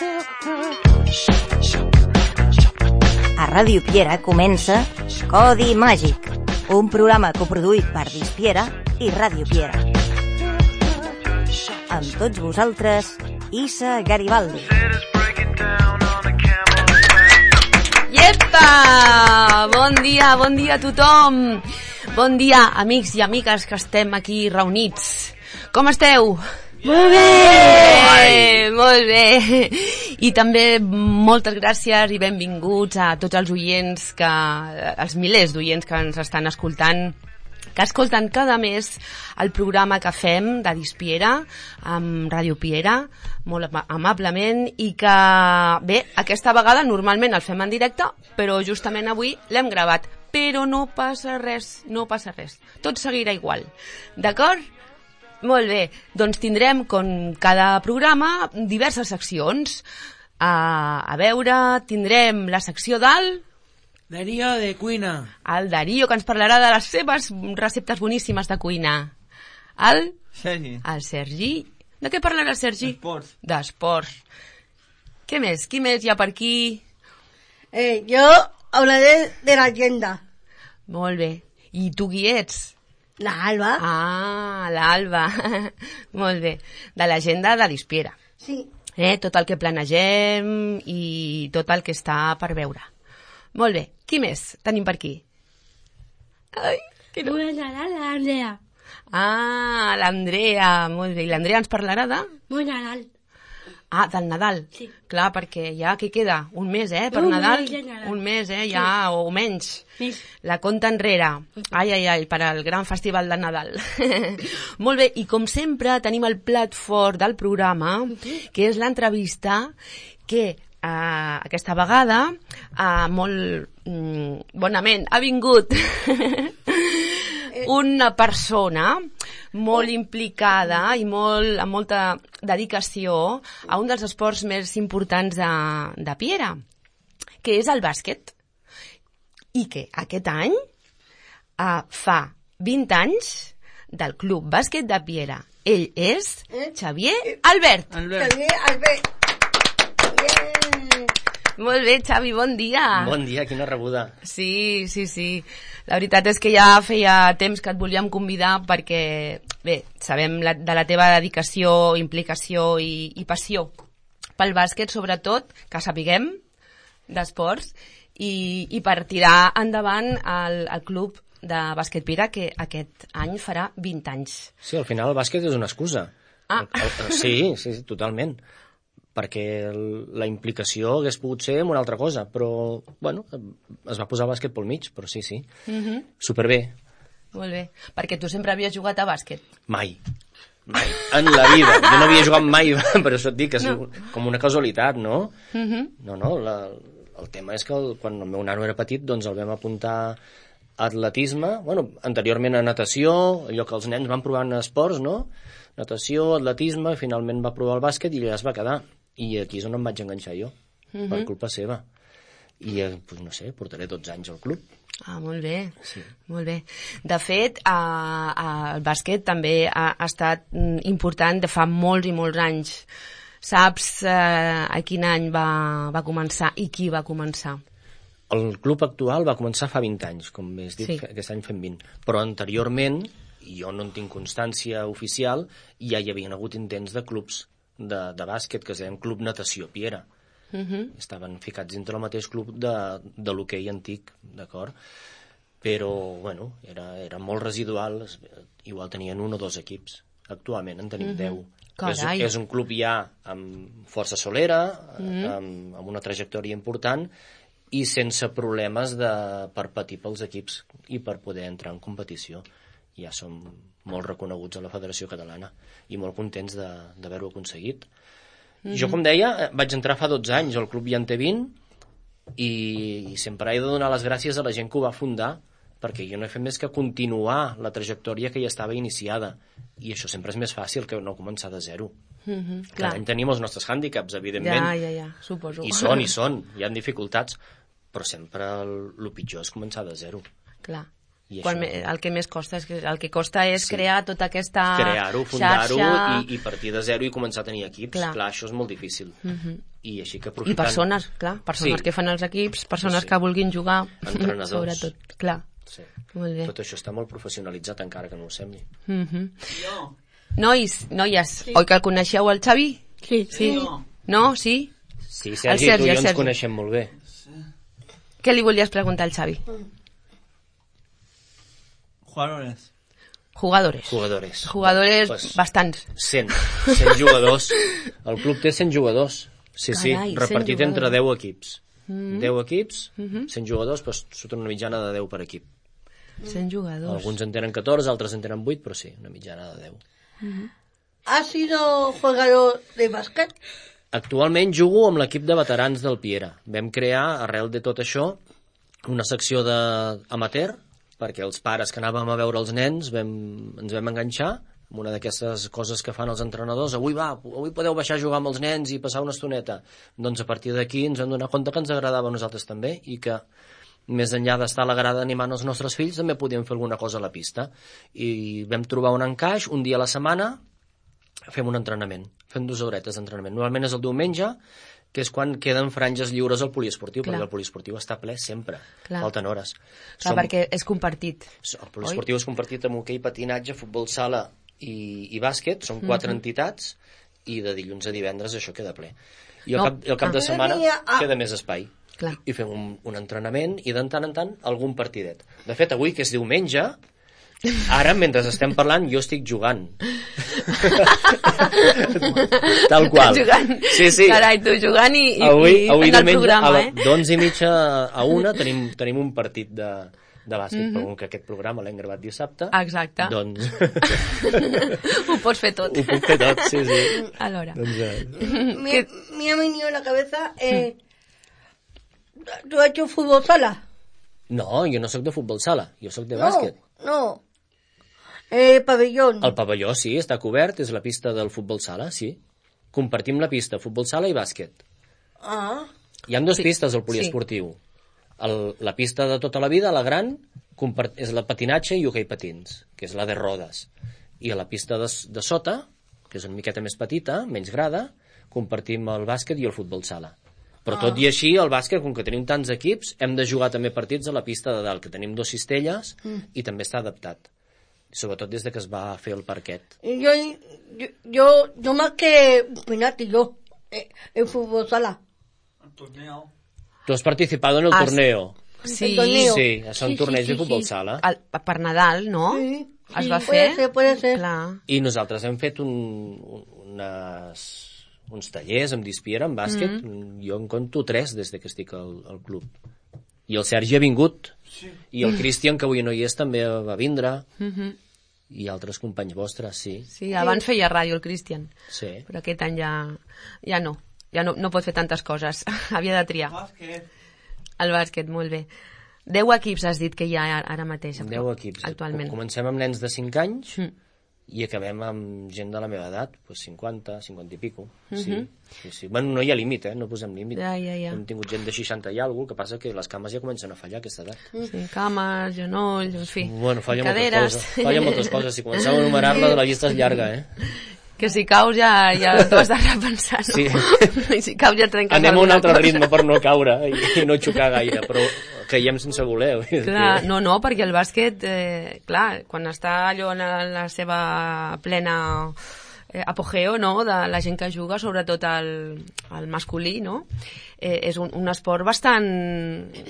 A Ràdio Piera comença Codi Màgic, un programa coproduït per Dispiera i Ràdio Piera. Amb tots vosaltres, Issa Garibaldi. Iepa! Bon dia a tothom! Bon dia, amics i amigues que estem aquí reunits. Com esteu? Molt bé! Molt bé! I també moltes gràcies i benvinguts a tots els oients, els milers d'oients que ens estan escoltant, que escolten cada mes el programa que fem de Dispiera amb Ràdio Piera, molt amablement, i que, bé, aquesta vegada normalment el fem en directe, però justament avui l'hem gravat. Però no passa res, tot seguirà igual, d'acord? Molt bé, doncs tindrem, com cada programa, diverses seccions. A veure, tindrem la secció del... Darío de cuina. El Darío, que ens parlarà de les seves receptes boníssimes de cuina. El Sergi. De què parlarà el Sergi? D'esports. Què més? Qui més hi ha per aquí? Yo hablaré de la agenda. Molt bé. I tu qui ets? La Alba. Ah, l'Alba. Molt bé. De l'agenda de Dispiera. Sí. Tot el que planegem i tot el que està per veure. Molt bé. Qui més tenim per aquí? Ai, qui no? L'Andrea. Ah, l'Andrea. Molt bé. I l'Andrea ens parlarà de... Bon Nadal. Ah, del Nadal. Sí. Clar, perquè ja, què queda? Un mes, per Nadal? Un mes, ja, sí. O menys. Sí. La compta enrere. Ai, per al gran festival de Nadal. Molt bé, i com sempre tenim el plat fort del programa, que és l'entrevista que aquesta vegada molt bonament ha vingut una persona molt implicada i amb molta dedicació a un dels esports més importants de Piera, que és el bàsquet. I que aquest any fa 20 anys del Club Bàsquet de Piera. Ell és Xavier Albert. Xavier Albert. Molt bé, Xavi, bon dia. Bon dia, quina rebuda. Sí. La veritat és que ja feia temps que et volíem convidar perquè, bé, sabem de la teva dedicació, implicació i passió pel bàsquet, sobretot, que sapiguem d'esports, i per tirar endavant el club de bàsquet Piera, que aquest any farà 20 anys. Sí, al final el bàsquet és una excusa. Sí, totalment. Perquè la implicació hagués pogut ser en una altra cosa, però, bueno, es va posar bàsquet pel mig, però sí. Superbé. Molt bé. Perquè tu sempre havies jugat a bàsquet? Mai. En la vida. Jo no havia jugat mai, per això et dic que és com una casualitat, no? No, el tema és que quan el meu nano era petit, doncs el vam apuntar a atletisme, bueno, anteriorment a natació, allò que els nens van provar en esports, no? Natació, atletisme, finalment va provar el bàsquet i allà es va quedar. I aquí és on em vaig enganxar jo, per culpa seva. I, doncs no sé, portaré 12 anys al club. Ah, molt bé, sí. Molt bé. De fet, el bàsquet també ha estat important de fa molts i molts anys. Saps a quin any va començar i qui va començar? El club actual va començar fa 20 anys, com has dit, sí. Aquest any fem 20. Però anteriorment, jo no en tinc constància oficial, ja hi havia hagut intents de clubs de bàsquet que es deien Club Natació Piera. Estaven ficats dintre el mateix club de l'hoquei antic, d'acord? Però, bueno, era molt residual, igual tenien 1 o 2 equips. Actualment en tenim 10. És un club ja amb força solera, amb una trajectòria important i sense problemes per patir pels equips i per poder entrar en competició. Ja som molt reconeguts a la Federació Catalana i molt contents d'haver-ho aconseguit. Jo, com deia, vaig entrar fa 12 anys, el club ja en té 20 i sempre he de donar les gràcies a la gent que ho va fundar, perquè jo no he fet més que continuar la trajectòria que ja estava iniciada, i això sempre és més fàcil que no començar de zero. Cada any tenim els nostres hàndicaps, evidentment. Ja, suposo. I són, hi ha dificultats, però sempre el pitjor és començar de zero. Clar. El que més costa és crear tota aquesta crear-ho, fundar-ho xarxa... i partir de zero i començar a tenir equips. Clar, això és molt difícil. I així que aprofitant... I persones que fan els equips, persones que vulguin jugar, sobretot, clar. Sí. Molt bé. Tot això està molt professionalitzat, encara que no ho sembli. Noies, oi que el coneixeu, el Xavi? Sí. No? Sí? Sí, Sergi, tu i jo ens coneixem molt bé. Què li volies preguntar al Xavi? Jugadores. Pues, bastants. 100 jugadors. El club té 100 jugadors. Sí, Carai, repartit entre 10 equips. 10 equips, 100 jugadors, pues, surt una mitjana de 10 per equip. 100 jugadors. Alguns en tenen 14, altres en tenen 8, però sí, una mitjana de 10. ¿Has sido jugador de básquet? Actualment jugo amb l'equip de veterans del Piera. Vam crear, arrel de tot això, una secció d'amateur, perquè els pares que anàvem a veure els nens ens vam enganxar amb una d'aquestes coses que fan els entrenadors. Avui podeu baixar a jugar amb els nens i passar una estoneta. Doncs a partir d'aquí ens vam donar compte que ens agradava a nosaltres també i que més enllà d'estar a la grada animant els nostres fills també podíem fer alguna cosa a la pista. I vam trobar un encaix, un dia a la setmana fem un entrenament, fem 2 horetes d'entrenament. Normalment és el diumenge, que és quan queden franges lliures al poliesportiu, perquè el poliesportiu està ple sempre, falten hores. Perquè és compartit. El poliesportiu és compartit amb hoquei, patinatge, futbol sala i bàsquet, són 4 entitats, i de dilluns a divendres això queda ple. I el cap de setmana queda més espai. I fem un entrenament i de tant en tant algun partidet. De fet, avui, que és diumenge, ara, mentre estem parlant, jo estic jugant. Tal qual. Sí. Carai, tu jugant i avui fent el programa, d'11:30 a 1 tenim un partit de bàsquet, però com que aquest programa l'hem gravat dissabte, exacte. Doncs... Ho pots fer tot. Ho puc fer tot, sí. Alhora. Me ha venido a la cabeza... ¿Tú has hecho fútbol sala? No, jo no sóc de futbol sala, jo sóc de bàsquet. No. Pavellón. El pavelló, sí, està cobert, és la pista del futbol sala, sí. Compartim la pista, futbol sala i bàsquet. Hi ha 2 pistes al poliesportiu. La pista de tota la vida, la gran, és la patinatge i hoquei patins, que és la de rodes. I a la pista de sota, que és una miqueta més petita, menys grada, compartim el bàsquet i el futbol sala. Però tot i així, el bàsquet, com que tenim tants equips, hem de jugar també partits a la pista de dalt, que tenim 2 cistelles i també està adaptat. Sobretot des de que es va fer el parquet. Yo más que penalti, en fútbol sala. El torneo. Tu has participado en el torneo. Sí, són torneigs de futbol sala. Per Nadal, no? Sí. Es va fer? Puede ser. Clar. I nosaltres hem fet uns tallers amb Dispiera, en bàsquet. Jo en conto 3 des que estic al club. I el Sergi ha vingut. I el Cristian, que avui no hi és, també va vindre. I altres companys vostres, sí. Sí, abans feia ràdio el Cristian. Sí. Però aquest any ja no. Ja no pot fer tantes coses. Havia de triar. El bàsquet, molt bé. 10 equips has dit que hi ha ara mateix. 10 equips. Actualment. Comencem amb nens de 5 anys i acabem amb gent de la meva edat, 50, 50 i pico. Sí. Bueno, no hi ha límit, no posem límit. Ja. Hem tingut gent de 60 i alguna cosa, que passa que les cames ja comencen a fallar a aquesta edat. Sí, cames, genolls, en fi. Bueno, caderes. Falla moltes coses. Si comencem a enumerar-la, la llista és llarga, Que si caus ja t'ho has de repensar, no? Sí. I si caus ja trenques anem a un altre ritme per no caure i no xocar gaire, però caiem sense voler. Clar, no, perquè el bàsquet, clar, quan està allò en la seva plena apogeo, no?, de la gent que juga, sobretot el masculí, no?, és un esport bastant...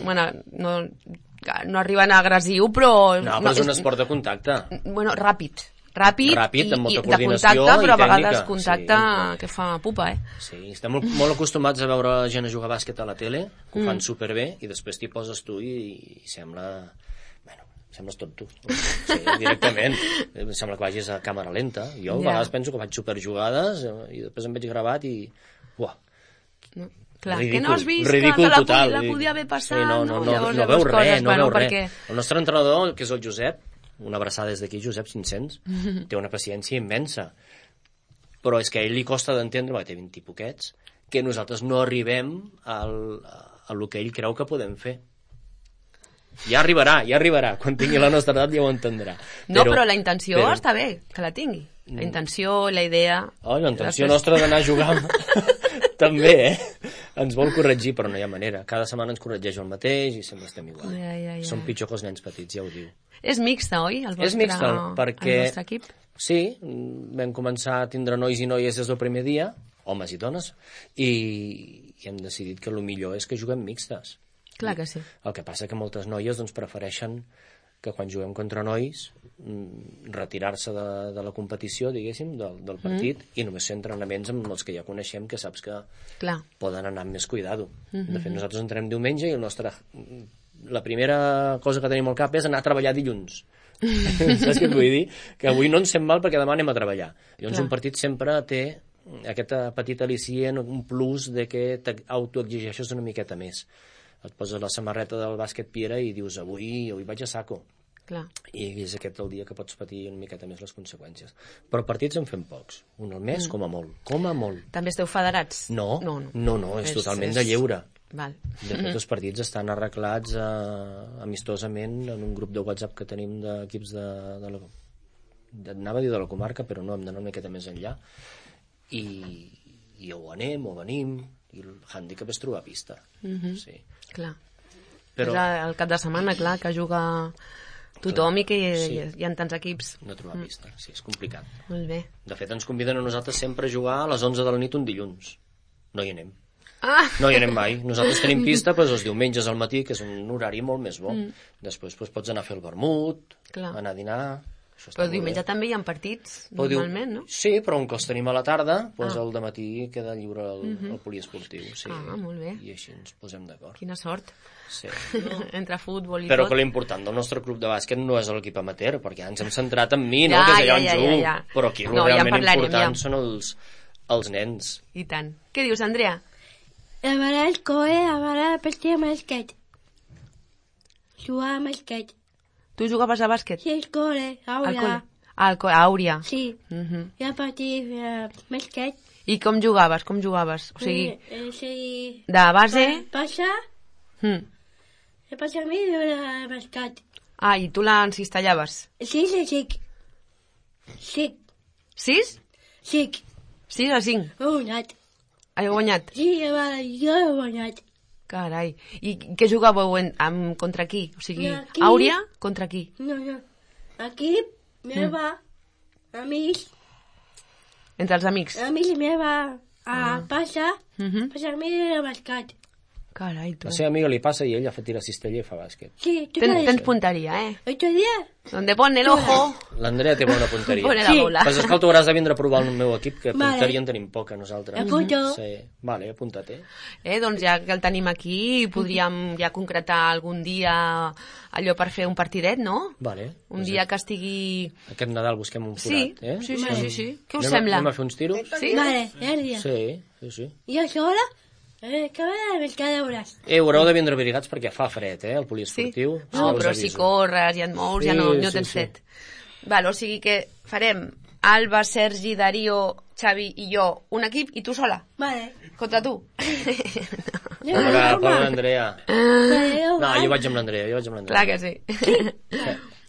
Bueno, no arriben a agressiu, però... No, però és un esport de contacte. Bueno, ràpid, amb molta coordinació contacte, però a vegades tècnica. Contacte que fa pupa, Sí, estem molt acostumats a veure gent a jugar bàsquet a la tele, que ho fan superbé, i després t'hi poses tu i sembla... Bueno, sembles tot tu. Sí, directament. Em sembla que vagis a càmera lenta. Jo a vegades penso que faig superjugades i després em veig gravat i... Uah, clar, ridícul, que no has vist ridícul que total. la podia haver passat, sí, no veus res, perquè... El nostre entrenador, que és el Josep, una abraçada des d'aquí, Josep 500, té una paciència immensa, però és que a ell li costa d'entendre, perquè té 20 i poquets, que nosaltres no arribem al que ell creu que podem fer. Ja arribarà. Quan tingui la nostra edat ja ho entendrà. No, però la intenció està bé, que la tingui. La intenció, la idea... La intenció nostra d'anar a jugar també, ens vol corregir, però no hi ha manera. Cada setmana ens corregeix el mateix i sempre estem igual. Ja. Som pitjor que els nens petits, ja ho diu. És mixta, oi? És mixta, perquè... El vostre equip? Sí, vam començar a tindre nois i noies des del primer dia, homes i dones, i hem decidit que el millor és que juguem mixtes. Clar que sí. El que passa que moltes noies doncs, prefereixen que quan juguem contra nois retirar-se de la competició, diguéssim, del partit, i només fer entrenaments amb els que ja coneixem, que saps que poden anar amb més cuidado. De fet, nosaltres entrem diumenge i la primera cosa que tenim al cap és anar a treballar dilluns. Saps què et vull dir? Que avui no ens sent mal perquè demà anem a treballar. Llavors un partit sempre té aquesta petita al·licient, un plus de que t'autoexigeixes una miqueta més. Et poses la samarreta del bàsquet Piera i dius avui vaig a saco. Clar. I és aquest el dia que pots patir una miqueta més les conseqüències. Però partits en fem pocs. Un al mes, com a molt. També esteu federats? No, és totalment de lleure. Val. De fet, els partits estan arreglats amistosament en un grup de WhatsApp que tenim d'equips anava a dir de la comarca, però no, hem d'anar una miqueta més enllà. I o anem o venim, i el hàndicap és trobar pista. Sí. Clar. Però... És el cap de setmana, clar, que juga tothom i que hi ha tants equips. No trobar pista, sí, és complicat. Molt bé. De fet, ens conviden a nosaltres sempre a jugar a les 11 de la nit un dilluns. No hi anem. Ah! No hi anem mai. Nosaltres tenim pista els diumenges al matí, que és un horari molt més bo. Després pots anar a fer el vermut, anar a dinar... Però diumenge també hi ha partits, normalment, no? Sí, però un que els tenim a la tarda, el dematí queda lliure el poliesportiu. Molt bé. I així ens posem d'acord. Quina sort. Sí. Entre futbol i però tot. Però que l'important del nostre club de bàsquet no és l'equip amateur, perquè ens hem centrat en mi, no? Que és allà on jugo. Però aquí el realment important són els nens. I tant. Què dius, Andrea? Anar al col·le, anar a partir de bàsquet. Jugar a bàsquet. Tu jugaves a bàsquet? Sí, al col·le, Àuria. A Àuria? Sí. I a partir de bàsquet. I com jugaves? O sigui, de base... Passa. Passa a mi de bàsquet. Ah, i tu l'encistellaves? Sí. 6? 6. 6 a 5? He guanyat. Has guanyat? Sí, jo he guanyat. Carai. I què jugàveu contra qui? O sigui, Àuria contra qui? No. Aquí, meva, amics. Entre els amics? Amics meva, passa a mi de bàsquet. Carai, tu. La seva amiga li passa i ell tira cistella i fa bàsquet. Sí, tens punteria, eh? Otro día. Donde pone el ojo. L'Andrea té bona punteria. Pone la bola. Pues és que tu hauràs de vindre a provar el meu equip, que punteria en tenim poca, nosaltres. Apunto. Sí. Vale, apunta't, Doncs ja que el tenim aquí, podríem ja concretar algun dia allò per fer un partidet, no? Vale. Un dia que estigui... Aquest Nadal busquem un forat, Sí. Què us sembla? Anem a fer uns tiros? Sí? Vale, el dia. Sí. I a sola? Que cada hores. Haureu de vindre abrigats perquè fa fred, el poliesportiu. Sí? No, però si corres i et mous ja no tens fred. Val, o sigui que farem Alba, Sergi, Darío, Xavi i jo un equip i tu sola. Vale. Contra tu. Pobre Andrea. No, jo vaig amb l'Andrea. Clar que sí.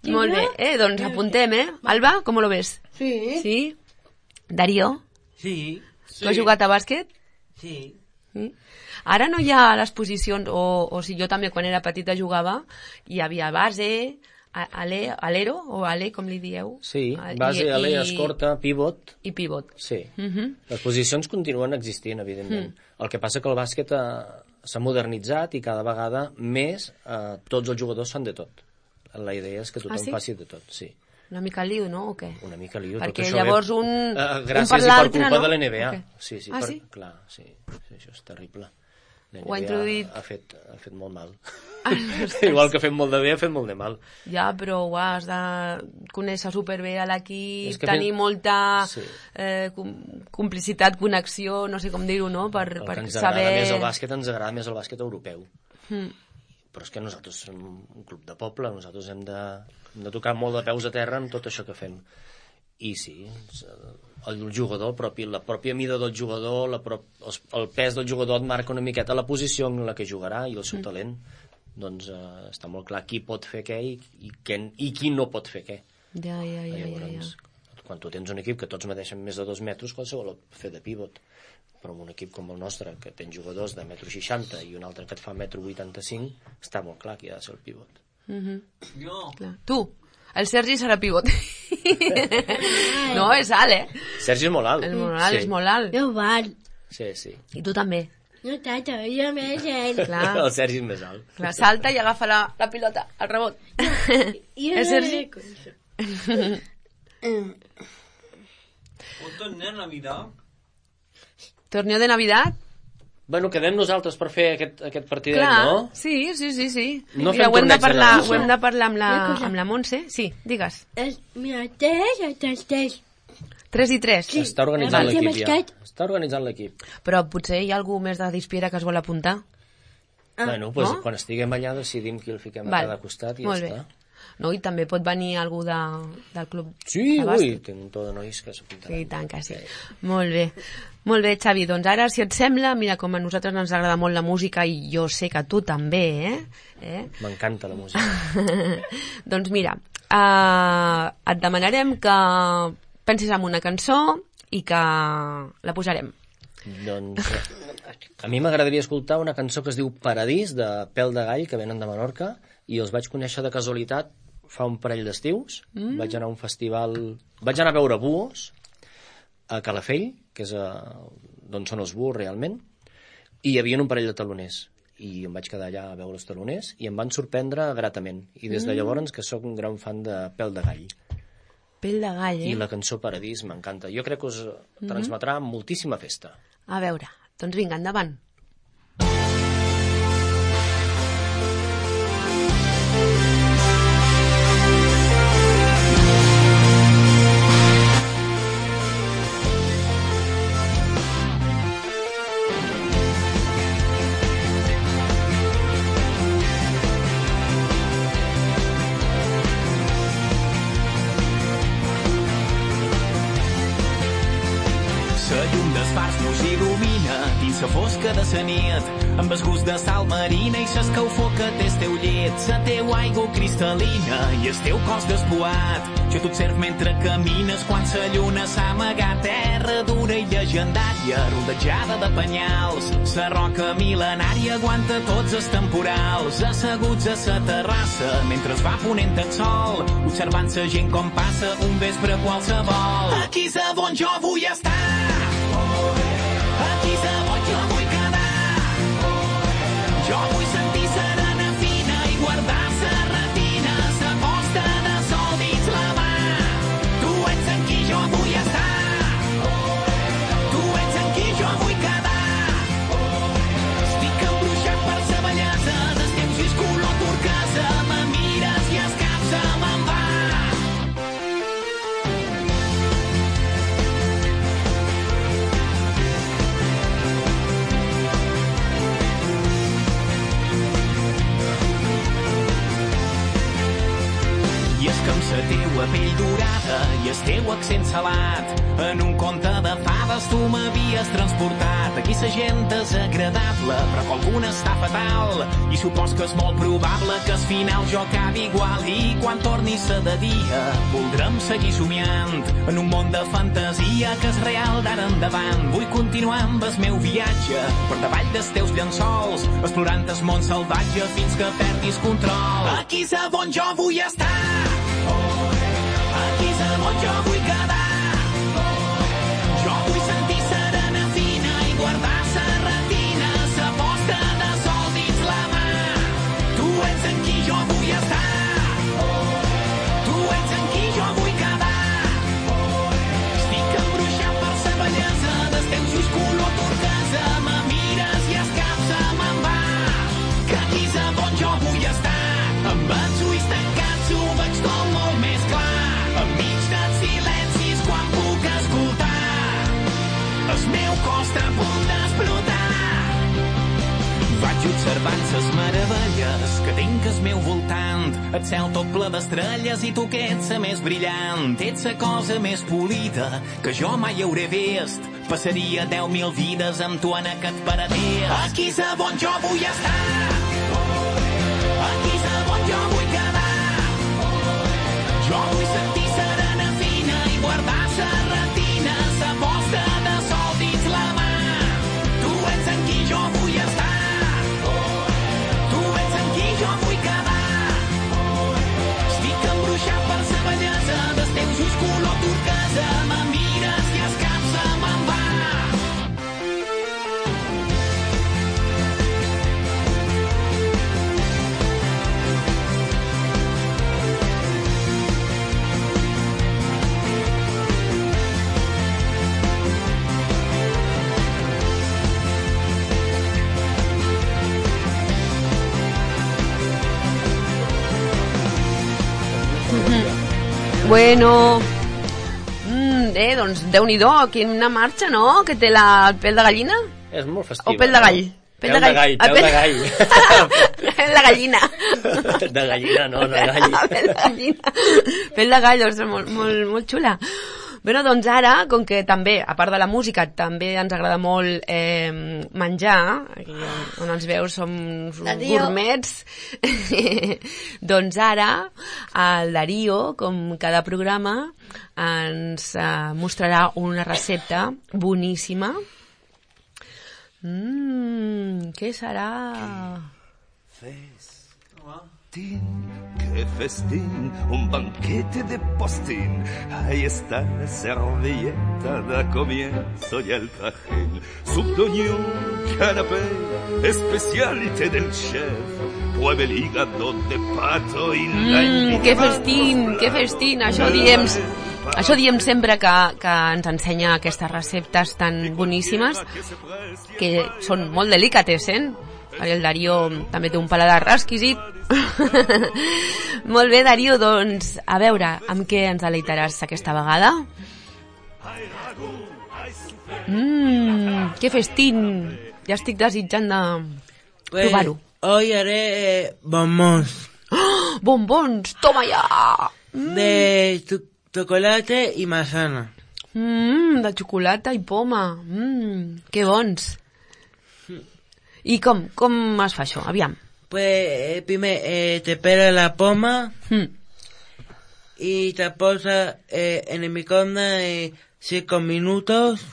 Molt bé, doncs apuntem, Alba, com lo ves? Sí. Darío? Sí. Tu has jugat a bàsquet? Sí. Ara no hi ha les posicions, o si jo també quan era petita jugava, hi havia base, alero, o ale, com li dieu? Sí, base, ale, escorta, pivot. I pivot. Sí. Les posicions continuen existint, evidentment. El que passa que el bàsquet s'ha modernitzat i cada vegada més tots els jugadors fan de tot. La idea és que tothom faci de tot, sí. Una mica lío, no? O què? Una mica lío. Perquè llavors un gràcies per l'altre, i per culpa no? de l'NBA. Okay. Sí? Clar, sí. Això és terrible. Ho ha introduït... ha fet molt mal. Igual que ha fet molt de bé, ha fet molt de mal. Ja, però ho has de conèixer superbé a l'equip, tenir molta complicitat, connexió, no sé com dir-ho, no? Per saber... Ens agrada més el bàsquet europeu. Però és que nosaltres som un club de poble, nosaltres hem de tocar molt de peus a terra amb tot això que fem. I sí, el jugador, la pròpia mida del jugador, el pes del jugador et marca una miqueta la posició en la que jugarà i el seu talent. doncs està molt clar qui pot fer què i qui no pot fer què. Ja. Llavors, quan tu tens un equip que tots medeixen més de 2 metres, qualsevol pot fer de pivot. Però en un equip com el nostre, que tens jugadors de 1,60 m i un altre que et fa 1,85 m, està molt clar qui ha de ser el pivot. Clar. Tu, el Sergi serà pivot. No, és alt, Sergi és molt alt. És molt alt. No val. Sí. I tu també. No tant, jo més ell. Clar. El Sergi és més alt. Clar, salta i agafa la pilota, el rebot. Jo Sergi? Un torneo Navidad. Torneo de Navidad? Bueno, quedem nosaltres per fer aquest partidet, Clar, no? sí. No Mira, fem ho hem de torneig parlar amb la Montse. Sí, digues. Mira, 3 3 i 3. Sí. Està organitzant Abans l'equip ja. basquet. Està organitzant l'equip. Però potser hi ha algú més de Dispiera que es vol apuntar? Bueno, doncs no? quan estiguem allà decidim qui el fiquem a cada costat i Molt ja bé. està. No, i també pot venir algú del club Sí, de bàsquet. tinc un to de nois que s'apuntaran. Sí, tant que sí. Molt bé, Xavi. Doncs ara, si et sembla, mira, com a nosaltres ens agrada molt la música i jo sé que a tu també, M'encanta la música. Doncs mira, et demanarem que pensis en una cançó i que la posarem. Doncs a mi m'agradaria escoltar una cançó que es diu Paradís, de Pèl de Gall, que venen de Menorca, i els vaig conèixer de casualitat fa un parell d'estius. Vaig anar a un festival... Vaig anar a veure buos a Calafell, que és d'on són els buos realment, i hi havia un parell de taloners. I em vaig quedar allà a veure els taloners i em van sorprendre gratament. I des de llavors que sóc un gran fan de Pèl de Gall. Pèl de Gall, I la cançó Paradís m'encanta. Jo crec que us transmetrà moltíssima festa. A veure, doncs vinga, endavant. La llum dels fars mos il·lumina dins la fosca de la nit, amb el gust de sal marina i l'escalfor que té el teu llit, la teua aigua cristal·lina i el teu cos despuat. Jo t'observ mentre camines quan la lluna s'ha amagat, terra dura i llegendària, rodejada de penyals. La roca mil·lenària aguanta tots els temporals, asseguts a la terrassa mentre es va ponent el sol, observant la gent com passa un vespre qualsevol. Aquí és on jo vull estar. Aquí és on jo vull quedar. Jo vull sentir serena fina i guardar sa retina, sa posta de sol dins la mà. Tu ets en qui jo vull estar. Tu ets en qui jo vull quedar. Estic embruixat per sa bellesa dels teus ulls color turquesa. Me mires i el cap se me'n va. I és que amb la teua pell dorada i el teu accent salat, en un conte de fades tu m'havies transportat. Aquí la gent és agradable, però que alguna està fatal, i supos que és molt probable que al final jo acabi igual. I quan torni ser de dia voldrem seguir somiant en un món de fantasia que és real d'ara endavant. Vull continuar amb el meu viatge per davall dels teus llençols, explorant el món salvatge fins que perdis control. Aquí és on jo vull estar. Aquí és on jo vull quedar. Jo vull sentir serena fina i guardar sa retina, sa posta de sol dins la mà. Tu ets en qui jo vull estar. Tu ets en qui jo vull quedar. Estic embruixat per sa bellesa dels teus ulls color turquesa. Me mires i el cap se me'n va. Que aquí és on jo vull estar. Amb els ulls tancats ho veig tot molt més clar. Enmig dels silencis quan puc escoltar, el meu cos està a punt d'explotar. Vaig observant ses meravelles que tinc al meu voltant, el cel tot ple d'estrelles i tu que ets la més brillant. Ets la cosa més polida que jo mai hauré vist. Passaria 10.000 vides amb tu en aquest paradís. Aquí és on jo vull estar. Bueno... doncs Déu-n'hi-do, quina marxa, no? Que té el pèl de gallina? És molt festiva. O pèl de gall? Pèl de gall. Pèl de gallina. De gallina, no, de gall. Pèl de gallina. Pèl de gall, és molt xula. Bueno, doncs ara, com que també, a part de la música, també ens agrada molt menjar, aquí on ens veus som gourmets, doncs ara el Darío, com cada programa, ens mostrarà una recepta boníssima. Què serà? ¡Qué festín! Un banquete de postín. Ahí está la servilleta, da comienzo ya el trajín. Subdoñó, canapé, especialité del chef. Pruebe el hígado de pato y la... Que festín! Això diem sempre que ens ensenya aquestes receptes tan boníssimes, que són molt delicatessen. El Darío també té un paladar exquisit. Molt bé, Darío, doncs a veure amb què ens deleitaràs aquesta vegada. Que festín! Ja estic desitjant de provar-ho. Hoy haré bombons. ¡Oh! ¡Bombons! ¡Toma ya! De chocolate y manzana. De xocolata i poma. Que bons. I com es fa això? Aviam. Pues primer te pela la poma y te posa en el microondas 5 minutos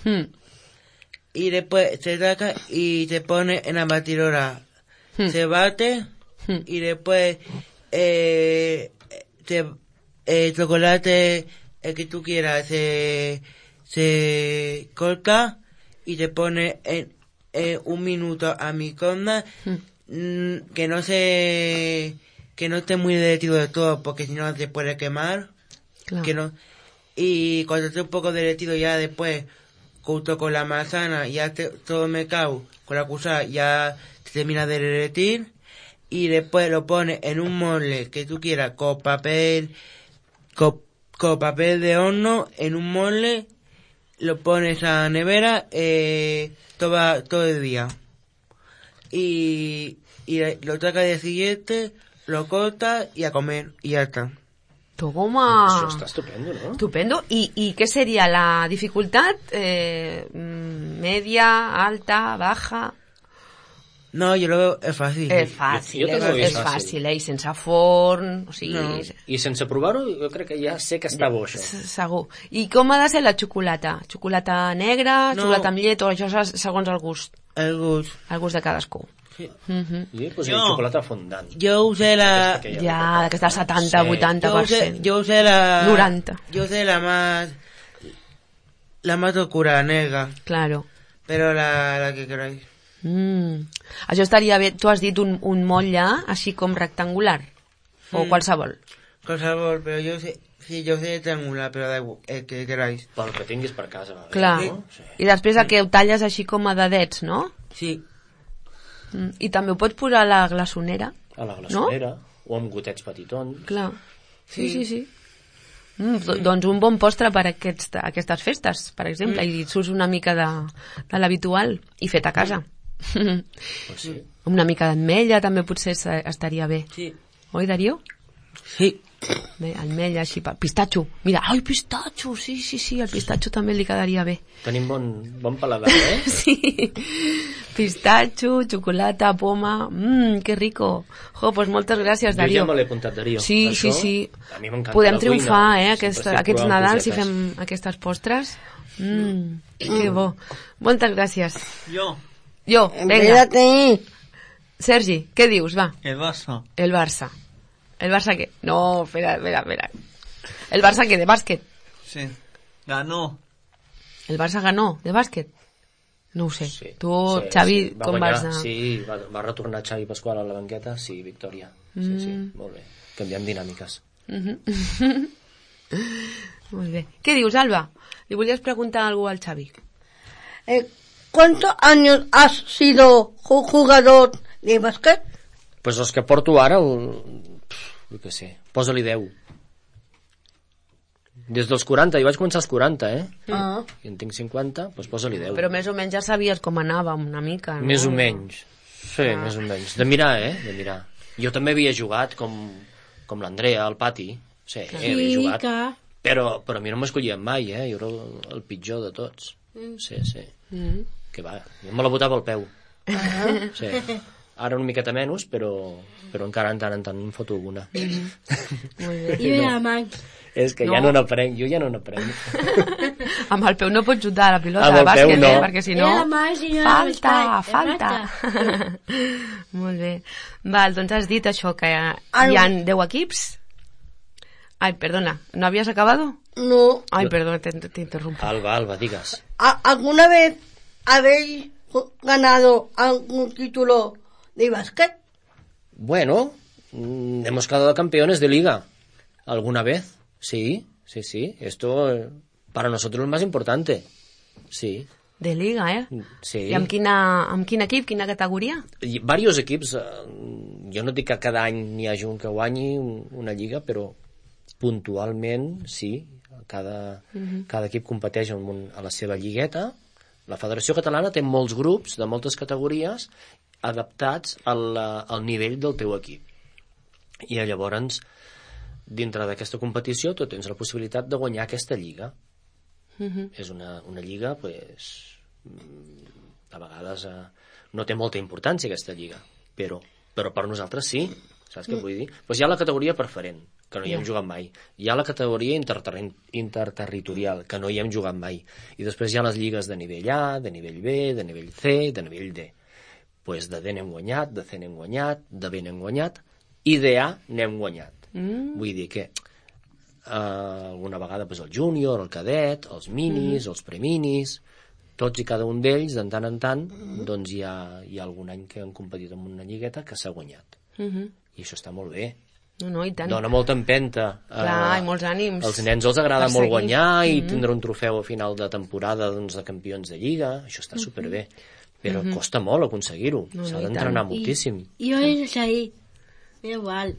y después se saca y se pone en la batidora. Se bate y después el chocolate el que tú quieras se corta y se pone en 1 minuto a microondas, que no esté muy derretido de todo, porque si no se puede quemar. Claro. Que no, y cuando esté un poco derretido ya después, junto con la manzana, ya todo mezclado con la cuchara ya se termina de derretir, y después lo pones en un molde que tú quieras, con papel de horno, en un molde, lo pones a la nevera todo el día. Y lo sacas al día siguiente, lo cortas y a comer, y ya está. Toma! Això està estupendo, no? Estupendo. I què seria la dificultat? Media, alta, baja? No, yo lo veo, es fácil. És fàcil, Jo també ho és fàcil, i sense forn, o sigui... No. I sense provar-ho, jo crec que ja sé que està bo, això. Segur. I com ha de ser la xocolata? Xocolata negra, No. xocolata amb llet, o això és segons el gust? El gust. El gust de cadascú. Sí. I pues xocolata fondant. Yo usé la... Ja, d'aquesta 70-80%. Yo usé la... 90. Yo usé la más oscura, negra. Claro. Pero la que queráis. Això estaria bé. Tu has dit un motlle així com rectangular? O qualsevol? Con sabor, pero yo sé rectangular, pero da igual, el que queráis. Pel que tinguis per casa. Va bé, Clar. no? Sí. I després el que ho talles així com a dedets, no? Sí. I també ho pots posar a la glaçonera. A la glaçonera, o amb gotets petitons. Clar. Sí. Doncs un bon postre per aquestes festes, per exemple, i surts una mica de l'habitual i fet a casa. Pues sí. Una mica d'ametlla també potser estaria bé. Sí. Oi, Darío? Sí. Bé, ametlla, així, pistatxo. Mira, ai, pistatxo, sí, el pistatxo també li quedaria bé. Tenim bon paladar, eh? Sí. Pistatxo, xocolata, poma... que rico. Jo, pues moltes gràcies, Darío. Jo ja me l'he apuntat, Darío. Sí. A mi m'encanta Podem la triomfar, cuina. aquests Nadals si fem aquestes postres. Que bo. Moltes gràcies. Jo, Vinga. Espérate. Sergi, què dius, va? el Barça. El Barça. ¿El Barça qué? No, espera. ¿El Barça qué? ¿De básquet? Sí. Ganó. ¿El Barça ganó de bàsquet? No ho sé. Sí, Tu, sí, Xavi, sí. com guanyar, vas anar? Sí, va retornar Xavi Pasqual a la banqueta, sí, victòria. Sí, molt bé. Canviem dinàmiques. Molt bé. Què dius, Alba? Li volies preguntar alguna cosa al Xavi? ¿Cuántos años has sido jugador de básquet? Pues els que porto ara, jo què sé, posa-li 10. Des dels 40, jo vaig començar als 40, Ah. I en tinc 50, doncs posa-li 10. Però més o menys ja sabies com anava una mica, no? Més o menys. Sí, més o menys. De mirar, de mirar. Jo també havia jugat com l'Andrea al pati. Sí, havia jugat. Però a mi no m'escollien mai, Jo era el pitjor de tots. Sí. Que va, jo me la botava al peu. Sí. Ara una miqueta menys, però encara en tant em foto alguna. Molt bé. I la man. És que ja no n'aprenc, jo ja no n'aprenc. Amb el peu no pots xutar la pilota Amb de el peu bàsquet, no. Perquè si no... Falta. Molt bé. Val, doncs has dit això, que hi ha 10 equips. Ai, perdona, ¿no habías acabado? No. Ay, perdona, te interrumpo. Alba, digas. ¿Alguna vez habéis ganado algún título de básquet? Bueno, hemos quedado campeones de liga. ¿Alguna vez? Sí. Esto para nosotros es lo más importante. Sí. De liga, Sí. I amb quin equip, quina categoria? I varios equips. Jo no dic que cada any n'hi hagi un que guanyi una lliga, però puntualment sí. Cada equip competeix a la seva lligueta. La Federació Catalana té molts grups de moltes categories adaptats al nivell del teu equip. I llavors, dintre d'aquesta competició, tu tens la possibilitat de guanyar aquesta lliga. És una lliga, a vegades no té molta importància aquesta lliga, però per nosaltres sí, saps què vull dir? Doncs hi ha la categoria preferent, que no hi hem jugat mai. Hi ha la categoria interterritorial, que no hi hem jugat mai. I després hi ha les lligues de nivell A, de nivell B, de nivell C, de nivell D. Doncs de D n'hem guanyat, de C n'hem guanyat, de B n'hem guanyat, i de A n'hem guanyat. Vull dir que alguna vegada el júnior, el cadet, els minis, els preminis, tots i cada un d'ells, de tant en tant, doncs hi ha algun any que han competit en una lligueta que s'ha guanyat. I això està molt bé. No, i tant. Dona molta empenta. Clar, i molts ànims. Els nens els agrada molt guanyar i tindre un trofeu a final de temporada de campions de lliga. Això està superbé. Però costa molt aconseguir-ho. S'ha d'entrenar moltíssim. I jo he de seguir. Igual.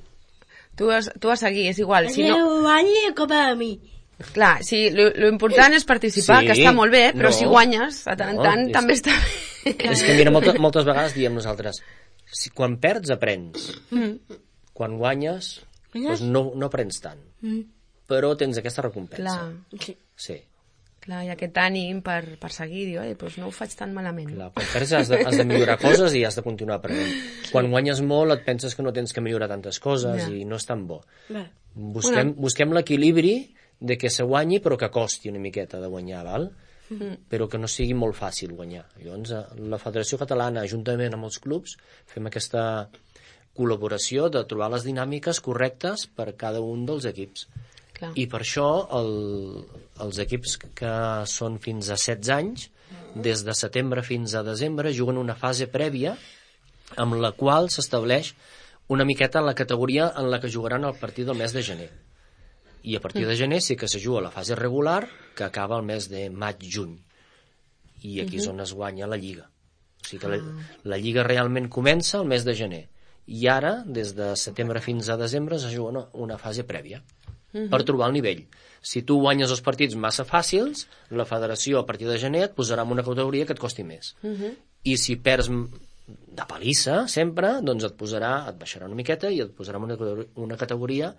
Tu has de seguir, és igual. Si no... guanyi, copa de mi. Clar, sí, lo important és participar, que està molt bé, però si guanyes, de tant en tant, també està bé. És que mira, moltes vegades diem nosaltres, quan perds aprens, quan guanyes doncs no aprens tant, però tens aquesta recompensa. Clar. Sí. Clar, i aquest ànim per seguir, diu, doncs no ho faig tan malament. Clar, quan perds has de millorar coses i has de continuar aprenent. Quan guanyes molt et penses que no tens que millorar tantes coses i no és tan bo. Busquem l'equilibri de que se guanyi però que costi una miqueta de guanyar, val? Però que no sigui molt fàcil guanyar. Llavors, la Federació Catalana, juntament amb els clubs, fem aquesta col·laboració de trobar les dinàmiques correctes per cada un dels equips. Clar. I per això els equips que són fins a 16 anys, des de setembre fins a desembre, juguen una fase prèvia amb la qual s'estableix una miqueta la categoria en la que jugaran el partit del mes de gener. I a partir de gener sí que se juga la fase regular, que acaba el mes de maig-juny. I aquí és on es guanya la lliga. O sigui que la lliga realment comença el mes de gener. I ara, des de setembre fins a desembre, es juga una fase prèvia per trobar el nivell. Si tu guanyes els partits massa fàcils, la federació a partir de gener et posarà en una categoria que et costi més. I si perds de palissa sempre, doncs et baixarà una miqueta i et posarà en una categoria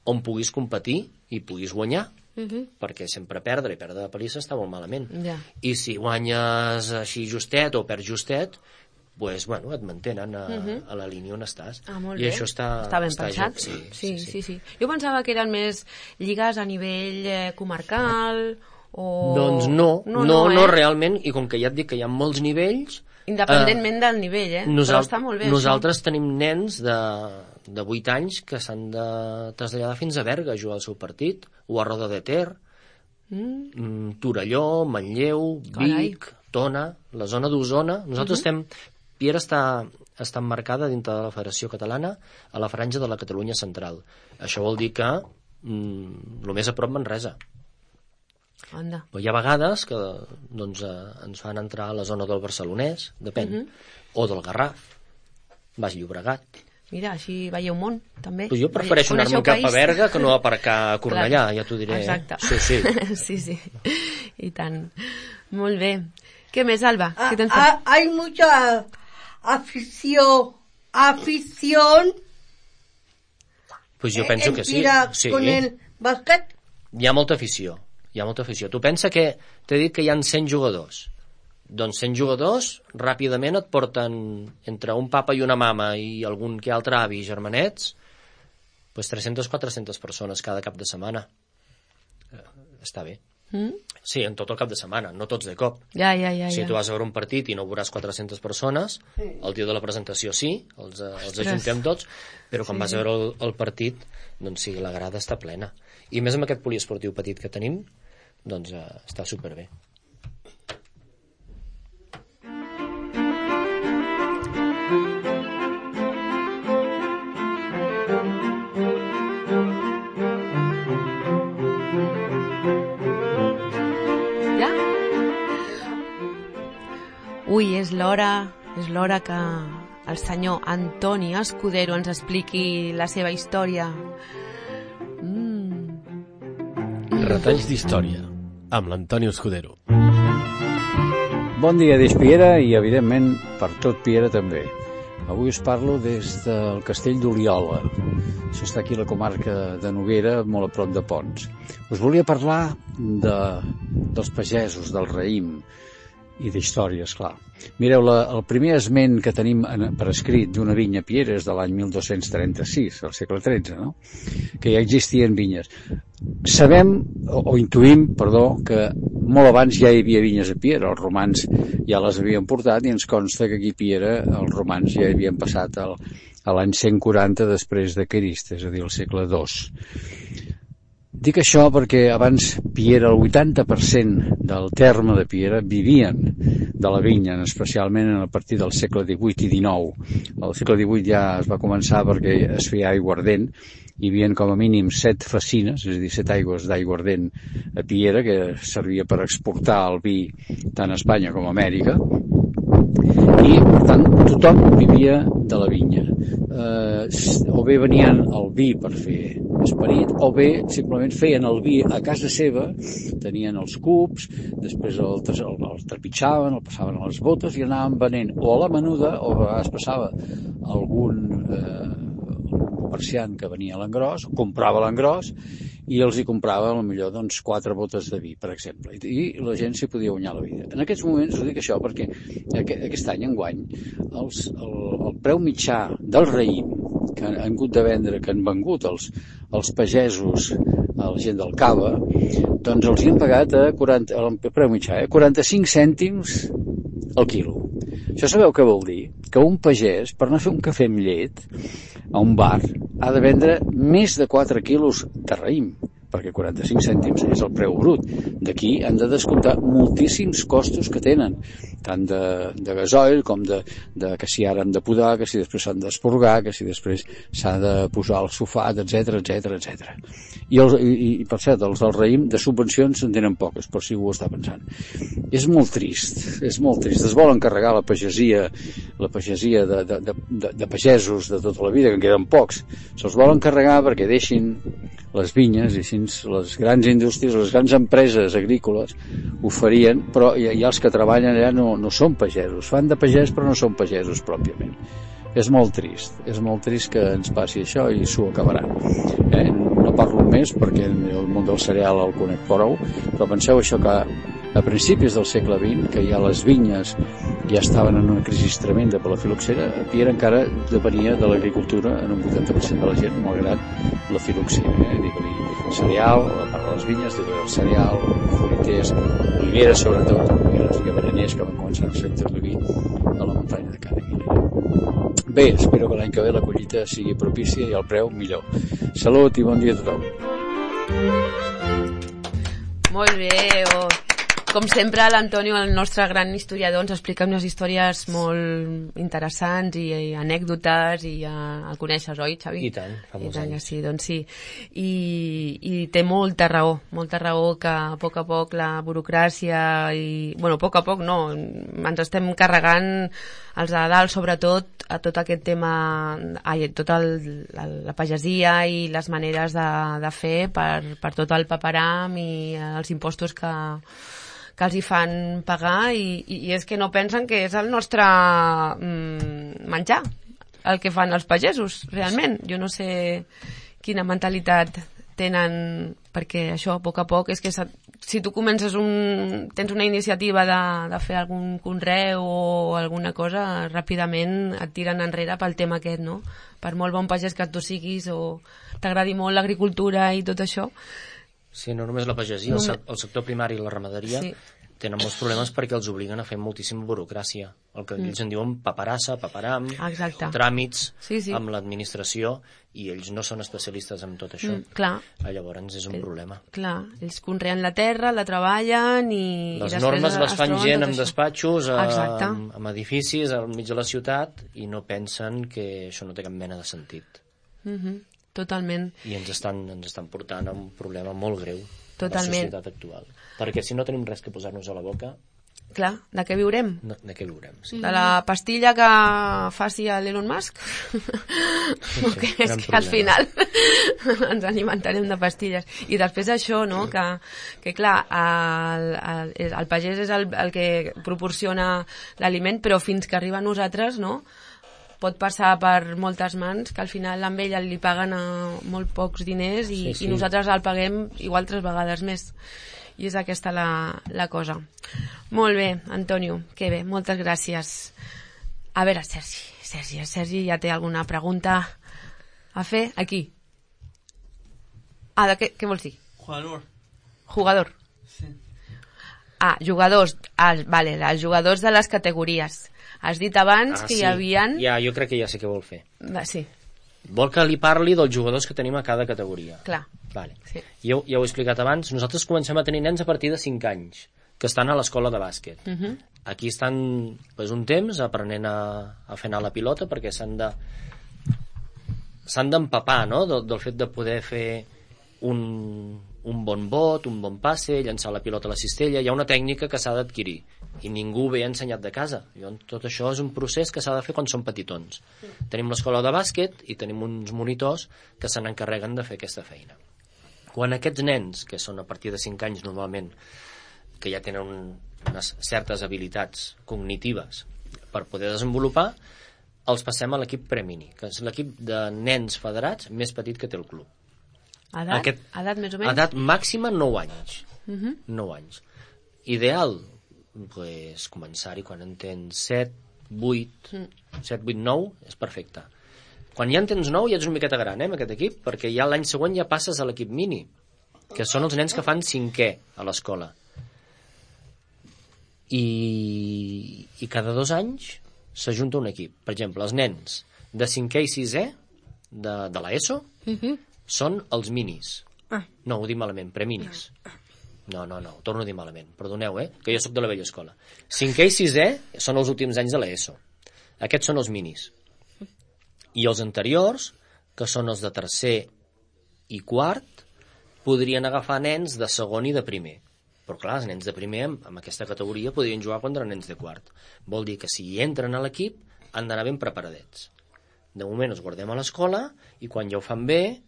on puguis competir i puguis guanyar, perquè sempre perdre i perdre de palissa està molt malament. I si guanyes així justet o perds justet, doncs, bueno, et mantenen a la línia on estàs. Molt I bé. això està ben pensat. Sí. Jo pensava que eren més lligues a nivell comarcal o... Doncs no, realment, i com que ja et dic que hi ha molts nivells... Independentment del nivell, però està molt bé. Nosaltres tenim nens de 8 anys que s'han de traslladar fins a Berga a jugar el seu partit, o a Roda de Ter, Torelló, Manlleu, Vic, Tona, la zona d'Osona. Nosaltres estem... Piera està emmarcada dintre de la Federació Catalana a la franja de la Catalunya central. Això vol dir que el més a prop Manresa. Però hi ha vegades que ens fan entrar a la zona del Barcelonès, depèn, o del Garraf, Baix Llobregat. mira, així veieu món, també. Pues jo prefereixo anar-me cap a Berga que no aparcar a Cornellà, ja t'ho diré. Exacte. Sí. Sí, i tant. Molt bé. Què més, Alba? ¿Qué tens fet? Hay mucha afición Pues jo penso que sí. Con el bàsquet. Hi ha molta afició. Tu pensa que t'he dit que hi ha 100 jugadors. Doncs 100 jugadors ràpidament et porten entre un papa i una mama i algun que altre avi i germanets, pues 300-400 persones cada cap de setmana. Està bé. Sí, en tot el cap de setmana, no tots de cop. Ja. Si tu vas a veure un partit i no veuràs 400 persones, el dia de la presentació sí, els ajuntem tots, però quan vas a veure el partit, doncs sí, la grada està plena. I més amb aquest poliesportiu petit que tenim, doncs està superbé. Ui, és l'hora que el senyor Antoni Escudero ens expliqui la seva història. Retalls d'història, amb l'Antoni Escudero. Bon dia des Piera i, evidentment, per tot Piera també. Avui us parlo des del castell d'Oliola. Això està aquí a la comarca de Noguera, molt a prop de Ponts. Us volia parlar dels pagesos, del raïm, i d'històries, clar. Mireu, el primer esment que tenim per escrit d'una vinya a Piera és de l'any 1236, al segle XIII, no? Que ja existien vinyes. Sabem, o intuïm, que molt abans ja hi havia vinyes a Piera, els romans ja les havien portat i ens consta que aquí a Piera els romans ja hi havien passat a l'any 140 després de Crist, és a dir, al segle II. Dic això perquè abans Piera, el 80% del terme de Piera vivien de la vinya, especialment a partir del segle XVIII i XIX. Al segle XVIII ja es va començar perquè es feia aiguardent, hi havia com a mínim 7 facines, és a dir, 7 aigües d'aiguardent a Piera, que servia per exportar el vi tant a Espanya com a Amèrica, i per tant tothom vivia de la vinya. O bé venien el vi per fer esperit, o bé simplement feien el vi a casa seva, tenien els cups, després el trepitjaven, el passaven a les botes i anaven venent o a la menuda, o a vegades passava algun comerciant que venia a l'engròs, comprava l'engròs i els hi comprava potser doncs 4 botes de vi, per exemple, i la gent s'hi podia guanyar la vida. En aquests moments us dic això perquè aquest any enguany el preu mitjà del raïm que han hagut de vendre, que han vengut els pagesos a la gent del Cava, doncs els hi han pagat el preu mitjà, 45 cèntims al quilo. Això sabeu què vol dir? Que un pagès, per anar a fer un cafè amb llet a un bar, ha de vendre més de 4 quilos de raïm, perquè 45 cèntims és el preu brut. D'aquí han de descomptar moltíssims costos que tenen, tant de gasoil com de que si ara han de podar, que si després s'han d'esporgar, que si després s'ha de posar el sulfat, etc. I per cert, els del raïm de subvencions en tenen poques, per si ho està pensant. És molt trist. Es volen carregar la pagesia de pagesos de tota la vida, que en queden pocs. Se'ls volen carregar perquè deixin les vinyes i així les grans indústries, les grans empreses agrícoles ho farien, però ja els que treballen allà no són pagesos, fan de pagès però no són pagesos pròpiament. És molt trist que ens passi això i s'ho acabaran. No parlo més perquè el món del cereal el conec prou, però penseu això que a principis del segle XX, que ja les vinyes ja estaven en una crisi tremenda per la filoxera, Piera encara depenia de l'agricultura en un 80% de la gent, malgrat la filoxera. Digue-li cereal, a part de les vinyes, digue-li el cereal, fruiters, oliveres sobretot, oliveres i avellaners que van començar a sector de vi a la muntanya de Cana. Bé, espero que l'any que ve la collita sigui propícia i el preu millor. Salut i bon dia a tothom. Molt bé, com sempre l'Antonio, el nostre gran historiador, ens explica unes històries molt interessants i anècdotes i ja el coneixes, oi, Xavi? I tant, fa molts anys. Sí, doncs sí. I té molta raó que a poc la burocràcia i... Bueno, a poc no, ens estem carregant els de dalt, sobretot, tot aquest tema, tota la pagesia i les maneres de fer per tot el paperam i els impostos que els hi fan pagar i és que no pensen que és el nostre menjar el que fan els pagesos, realment. Jo no sé quina mentalitat tenen, perquè això, a poc, és que si tu comences tens una iniciativa de fer algun conreu o alguna cosa, ràpidament et tiren enrere pel tema aquest, no? Per molt bon pagès que tu siguis o t'agradi molt l'agricultura i tot això. Sí, no només la pagesia, el sector primari i la ramaderia tenen molts problemes perquè els obliguen a fer moltíssima burocràcia. El que ells en diuen paperassa, paperam, tràmits amb l'administració, i ells no són especialistes en tot això. Llavors és un problema. Clar, ells conreen la terra, la treballen i les normes les fan gent amb despatxos, amb edificis al mig de la ciutat, i no pensen que això no té cap mena de sentit. Totalment. I ens estan portant a un problema molt greu a la societat actual. Perquè si no tenim res que posar-nos a la boca... Clar, de què viurem? De què viurem, sí. De la pastilla que faci l'Elon Musk? És que al final ens alimentarem de pastilles. I després això, no?, que clar, el pagès és el que proporciona l'aliment, però fins que arriba a nosaltres, no?, pot passar per moltes mans, que al final amb ell li paguen molt pocs diners i nosaltres el paguem igual 3 vegades més. I és aquesta la cosa. Molt bé, Antonio, que bé, moltes gràcies. A veure, Sergi ja té alguna pregunta a fer? Aquí. Què vols dir? Jugador. Sí. Jugadors. Vale, els jugadors de les categories. Has dit abans que hi havia... Ja, jo crec que ja sé què vol fer. Sí. Vol que li parli dels jugadors que tenim a cada categoria. Clar. Vale. Sí. Jo ja ho he explicat abans. Nosaltres comencem a tenir nens a partir de 5 anys, que estan a l'escola de bàsquet. Aquí estan un temps aprenent a fer anar la pilota, perquè s'han d'empapar, no?, del fet de poder fer un bon bot, un bon passe, llançar la pilota a la cistella. Hi ha una tècnica que s'ha d'adquirir i ningú ho ve ensenyat de casa. Tot això és un procés que s'ha de fer quan són petitons. Tenim l'escola de bàsquet i tenim uns monitors que se n'encarreguen de fer aquesta feina. Quan aquests nens, que són a partir de 5 anys normalment, que ja tenen unes certes habilitats cognitives per poder desenvolupar, els passem a l'equip Premini, que és l'equip de nens federats més petit que té el club. Edat més o menys? Edat màxima 9 anys. 9 anys. Ideal, començar-hi quan en tens 7, 8, 9, és perfecte. Quan ja en tens 9 ja ets una miqueta gran, amb aquest equip, perquè ja l'any següent ja passes a l'equip mini, que són els nens que fan 5è a l'escola. I cada 2 anys s'ajunta un equip. Per exemple, els nens de 5è i 6è de l'ESO són els minis. No, ho dic malament, preminis. No, ho torno a dir malament. Perdoneu, que jo sóc de la vella escola. 5è i 6è són els últims anys de l'ESO. Aquests són els minis. I els anteriors, que són els de 3è i 4, podrien agafar nens de segon i de primer. Però clar, els nens de primer amb aquesta categoria podrien jugar contra nens de quart. Vol dir que si entren a l'equip han d'anar ben preparadets. De moment els guardem a l'escola i quan ja ho fan bé,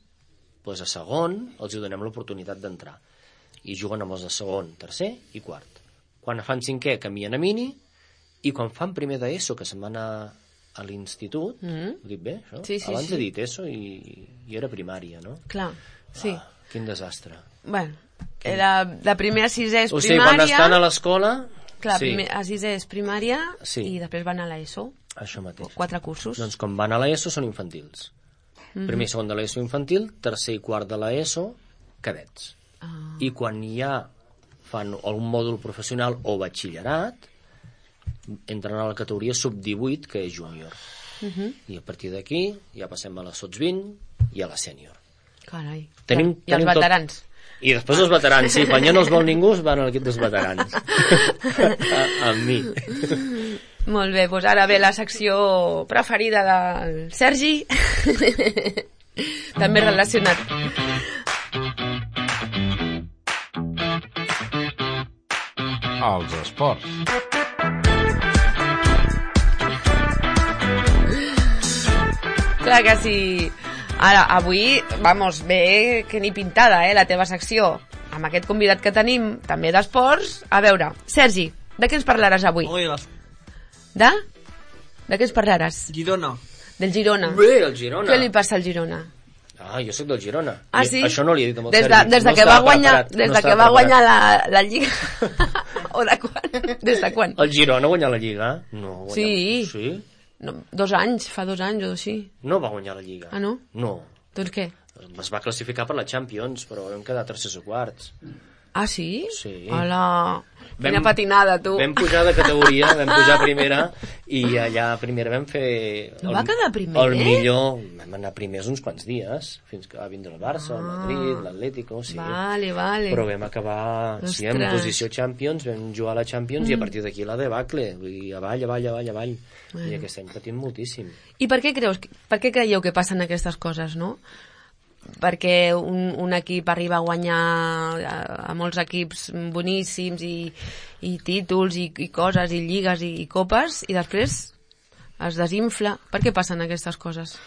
doncs a segon els donem l'oportunitat d'entrar. I juguen amb els de segon, tercer i quart. Quan fan 5è canvien a mini i quan fan primer d'ESO, que se'n van a l'institut, ho dic bé, això? Sí, abans he dit ESO i era primària, no? Clar, sí. Quin desastre. Bueno, de primer a 6è és primària... O sigui, quan estan a l'escola... Clar, a 6è és primària i després van a l'ESO. Això mateix. 4 cursos. Doncs quan van a l'ESO són infantils. Primer i segon de l'ESO infantil, tercer i quart de l'ESO, cadets. I quan ja fan algun mòdul professional o batxillerat, entren a la categoria sub-18, que és júnior. I a partir d'aquí ja passem a la sots-20 i a la sènior. Carai. I els veterans. I després els veterans, sí. Quan ja no els vol ningú, es van a l'equip dels veterans. Amb mi. Molt bé, doncs ara ve la secció preferida del Sergi. També relacionat. Els esports. Clar que sí. Ara, avui, vamos, bé que ni pintada, la teva secció. Amb aquest convidat que tenim, també d'esports. A veure, Sergi, de què ens parlaràs avui? De? De què ens parlaràs? Girona. Del Girona. Bé, el Girona. Què li passa al Girona? Jo sóc del Girona. Ah, sí? Això no li he dit amb el Des Sergi. de que va guanyar la Lliga. O de quan? Des de quan? El Girona ha guanyat la Lliga? No. Sí. Sí? No, 2 anys, fa 2 anys o així. No va guanyar la Lliga. Ah, no? No. Doncs què? Es va classificar per la Champions, però vam quedar tercers o quarts. Ah, sí? Sí. Hola, quina patinada, tu. Vam pujar de categoria, vam pujar a primera, i allà a primera vam fer... No va quedar primer, el millor, vam anar primers uns quants dies, fins que va vindre el Barça, el Madrid, l'Atlético, sí. Vale. Però vam acabar, sí, en posició Champions, vam jugar a la Champions, i a partir d'aquí la debacle, vull dir, avall. I aquest any patim moltíssim. I per què creieu que passen aquestes coses, no? Perquè un equip arriba a guanyar a molts equips boníssims i títols i coses i lligues i copes i després es desinfla. Per què passen aquestes coses?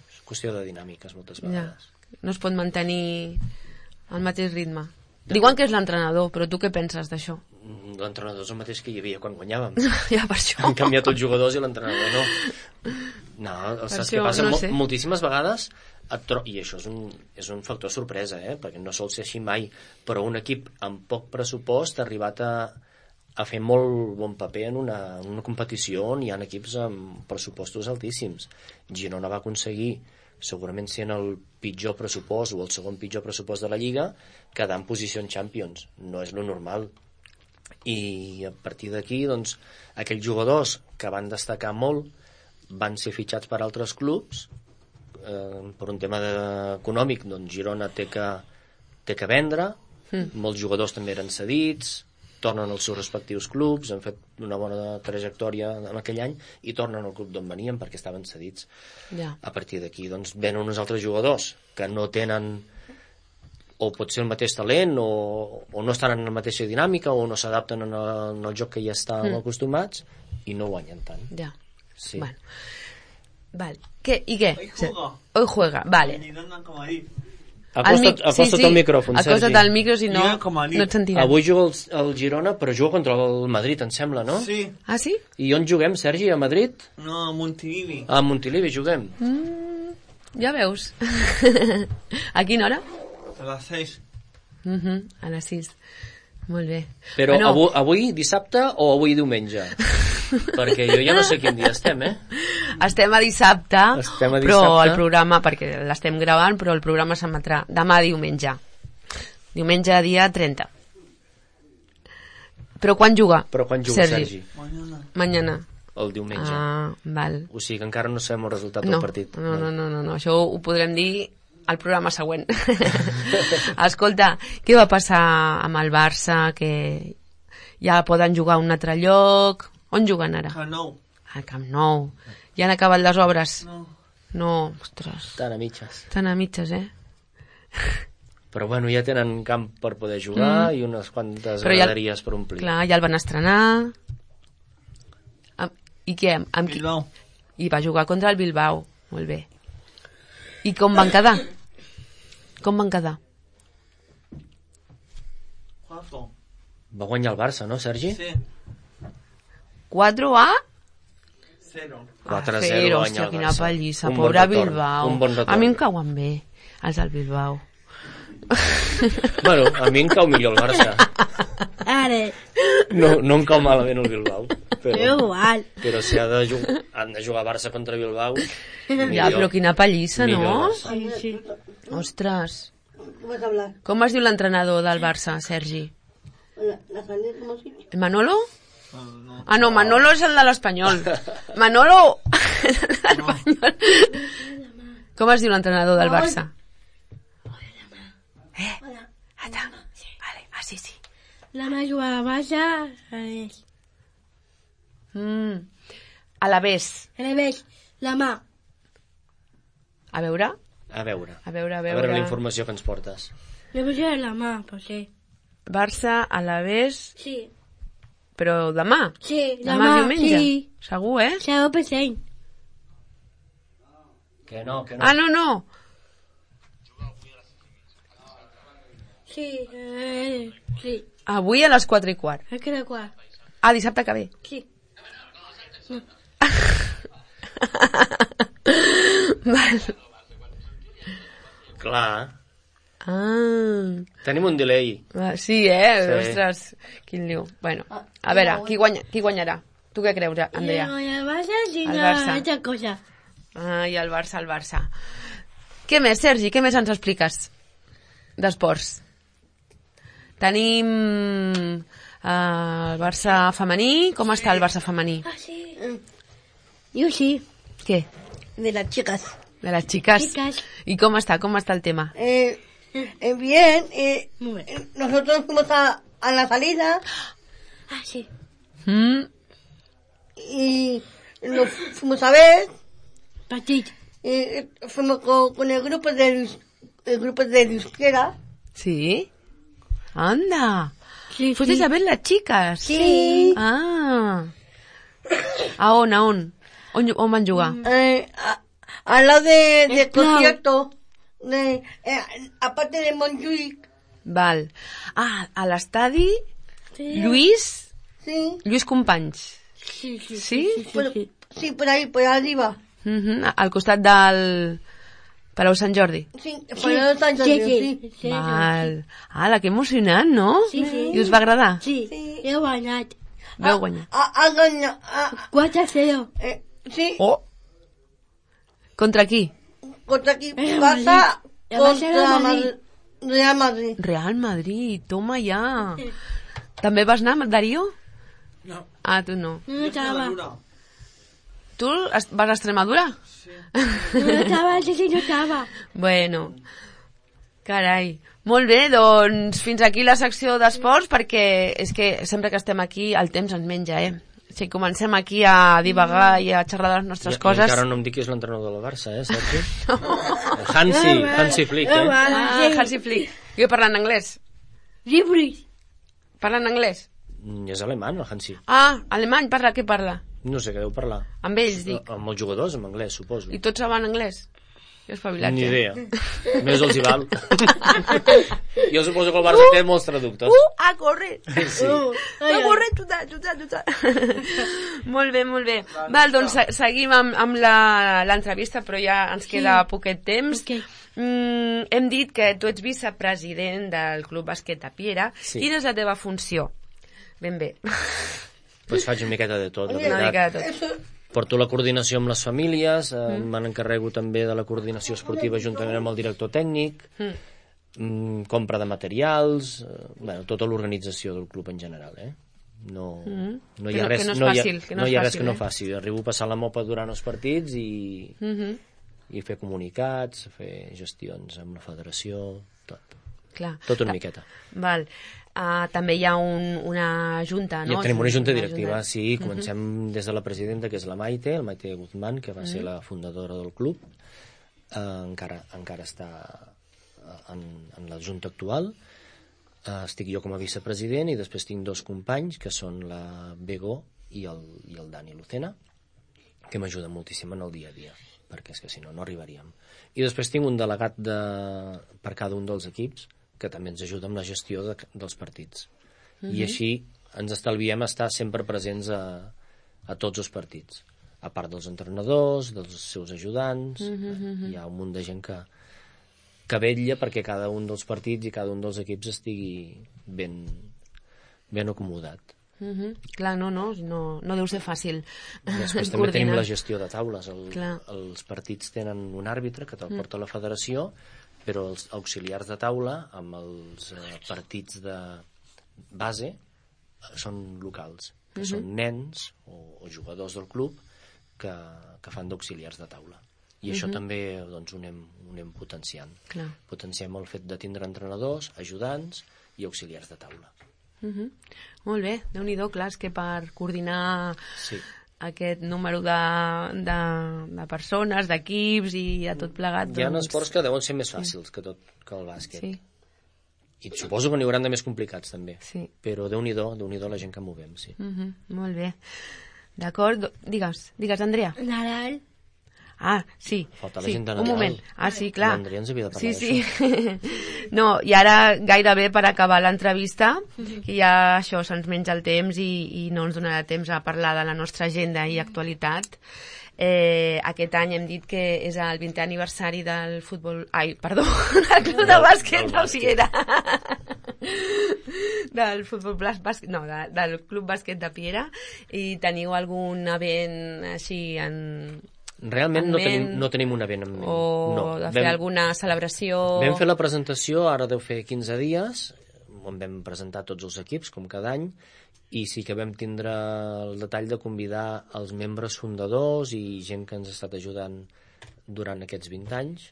És qüestió de dinàmiques moltes vegades. No es pot mantenir el mateix ritme. Diuen que és l'entrenador, però tu què penses d'això? L'entrenador és el mateix que hi havia quan guanyàvem. Ja, per això. Han canviat els jugadors i l'entrenador no. No, saps què passa? Moltíssimes vegades i això és un factor sorpresa, perquè no sol ser així mai, però un equip amb poc pressupost ha arribat a fer molt bon paper en una competició on hi ha equips amb pressupostos altíssims. Girona va aconseguir, segurament sent el pitjor pressupost o el segon pitjor pressupost de la Lliga, quedar en posició en Champions. No és lo normal. I a partir d'aquí, doncs, aquells jugadors que van destacar molt van ser fitxats per altres clubs. Per un tema econòmic, doncs Girona té que vendre, molts jugadors també eren cedits, tornen als seus respectius clubs, han fet una bona trajectòria en aquell any i tornen al club d'on venien perquè estaven cedits. A partir d'aquí doncs venen uns altres jugadors que no tenen o pot ser el mateix talent o no estan en la mateixa dinàmica o no s'adapten en el joc que ja estan acostumats i no guanyen tant. Sí. Bueno. Vale. ¿Y qué? Hoy juega, vale. Acosta't al micròfon, Sergi. Acosta't al micro, si no et sentirem. Avui juga el Girona, però juga contra el Madrid, em sembla, no? Sí. Ah, sí? I on juguem, Sergi? A Madrid? No, a Montilivi. A Montilivi juguem. Ja veus. A quina hora? A les 6. A les 6. Molt bé. Però avui dissabte o avui diumenge? Perquè jo ja no sé quin dia estem, Estem a dissabte, però el programa, perquè l'estem gravant, però el programa s'emetrà demà diumenge. Diumenge dia 30. Però quan juga? Sergi? Mañana. El diumenge. Ah, val. O sigui que encara no sabem el resultat del partit. No, això ho podrem dir al programa següent. Escolta, què va passar amb el Barça, que ja poden jugar a un altre lloc? On juguen ara? Camp Nou. Al Camp Nou. Ja han acabat les obres? No, ostres. Estan a mitges. Estan a mitges, Però bueno, ja tenen camp per poder jugar i unes quantes graderies per omplir. Clar, ja el van estrenar. I què? Bilbao. I va jugar contra el Bilbao. Molt bé. I com van quedar? Va guanyar el Barça, no, Sergi? Sí. 4-0. 4-0 va guanyar hòstia, el quina Barça. pallissa, pobre Bilbao. A mi em cauen bé, els del Bilbao. Bueno, a mi em cau millor el Barça. Ara. No em cau malament el Bilbao. Però si han de jugar Barça contra Bilbao... Ja, però quina pallissa, no? Sí. Ostres. Com es diu l'entrenador del Barça, Sergi? Manolo? Ah, no, Manolo és el de l'Espanyol. Manolo! Com es diu l'entrenador del Barça? Sí. La mà juga a Barça, a l'Avés. La mà. A veure la informació que ens portes. Jo vull jugar la mà, potser. Barça, a l'Avés... Sí. Però demà? Sí, demà diumenge? Sí. Segur, 0%. Que no. Ah, no. Sí, sí. Avui a les 4:15. A cada quart. Ah, dissabte que ve. Sí. Val. Clar. Ah. Tenim un delay. Sí, Sí. Ostres, quin liu. Bueno, a veure, qui guanyarà? Tu què creus, Andrea? No, el Barça sí, El no, Barça. altra cosa. Ah, i el Barça. Què més, Sergi? Què més ens expliques d'esports? Tenim el Barça femení. Com està el Barça femení? Ah, sí. Yo sí. Què? De las chicas. De les xiques? Chicas. I com està el tema? Bien. Nosotros fuimos a la salida Ah, sí. y nos fuimos a ver. Partit. Fuimos con el grupo de euskera. Sí? Anda. Sí, Fuisteis a ver las chicas? Sí. Ah. A on? On van jugar? Al lado del Clau. concierto. Aparte de Montjuïc. Val. Ah, a l'estadi Sí. Lluís Companys. Sí, sí. Sí? Sí, por ahí, por arriba. Al costat del Palau Sant Jordi. Sí, por el San Jordi, sí. Val. Ala, que emocionant, no? Sí. I us va agradar? Sí, he guanyat. Vau guanyar. Ha ganado. 4-0. Sí, Oh! Contra qui? contra aquí El pasa Madrid. El Barça contra Real Madrid. Real Madrid, toma ja. També vas anar, Darío? No. Ah, tu no. No estaba. Tu vas a Extremadura? No estaba, sí, no estaba. Bueno, carai. Molt bé, doncs fins aquí la secció d'esports, perquè és que sempre que estem aquí el temps ens menja, Si comencem aquí a divagar i a xerrar de les nostres coses... Encara no em dic qui és l'entrenador del Barça, Sergi? Hansi Flick, Hansi Flick. Jo parlant anglès. Llibres. Parlant anglès? És alemany, el Hansi. Ah, alemany, què parla? No sé què deu parlar. Amb ells, dic. Amb els jugadors, en anglès, suposo. I tots saben anglès? Jo espavilat, Ni idea. Més els hi val. Jo suposo que el Barça té molts traductors. A córrer! Sí. A córrer, xuta. Molt bé. Val, doncs seguim amb l'entrevista, però ja ens queda poquet temps. Okay. Hem dit que tu ets vicepresident del Club Bàsquet de Piera. Sí. Quina és la teva funció? Ben bé. Pues faig una miqueta de tot, la Una mica veritat. de tot. Porto la coordinació amb les famílies, me n'encarrego també de la coordinació esportiva juntament amb el director tècnic, compra de materials, tota l'organització del club en general, No hi ha res que no faci. Arribo a passar la mopa durant els partits i fer comunicats, fer gestions amb la federació, tot. Clar. Tot una miqueta. Val. També hi ha una junta, no? Ja tenim una junta directiva, sí. Comencem des de la presidenta, que és la Maite Guzmán, que va ser la fundadora del club. Encara està en la junta actual. Estic jo com a vicepresident i després tinc dos companys, que són la Bego i el Dani Lucena, que m'ajuden moltíssim en el dia a dia, perquè és que si no arribaríem. I després tinc un delegat per cada un dels equips, que també ens ajuda amb la gestió dels partits. I així ens estalviem estar sempre presents a tots els partits. A part dels entrenadors, dels seus ajudants, hi ha un munt de gent que vetlla perquè cada un dels partits i cada un dels equips estigui ben acomodat. Clar, no deu ser fàcil. Després també tenim la gestió de taules. Els partits tenen un àrbitre que te'l porta a la federació, però els auxiliars de taula amb els partits de base són locals, que són nens o jugadors del club que fan d'auxiliars de taula. I això també ho anem potenciant. Potenciem el fet de tindre entrenadors, ajudants i auxiliars de taula. Molt bé, Déu-n'hi-do, clar, és que per coordinar aquest número de persones, d'equips i a tot plegat... Hi ha esports que deuen ser més fàcils que el bàsquet. I suposo que n'hi hauran de més complicats també. Però Déu-n'hi-do la gent que movem, sí. Molt bé. D'acord, digues, Andrea. Nadal. Sí. Falta la sí. gent de Un Nadal. moment. Sí, clar. L'Andrea ens havia de parlar Sí. No, i ara gairebé per acabar l'entrevista, que ja això se'ns menja el temps i no ens donarà temps a parlar de la nostra agenda i actualitat. Aquest any hem dit que és el 20è aniversari del futbol... del club de bàsquet de Piera. Del futbol bàsquet... No, del club bàsquet de Piera. I teniu algun event així en... Realment no tenim un event en ment. O de fer alguna celebració... Vam fer la presentació, ara deu fer 15 dies, on vam presentar tots els equips, com cada any, i sí que vam tindre el detall de convidar els membres fundadors i gent que ens ha estat ajudant durant aquests 20 anys.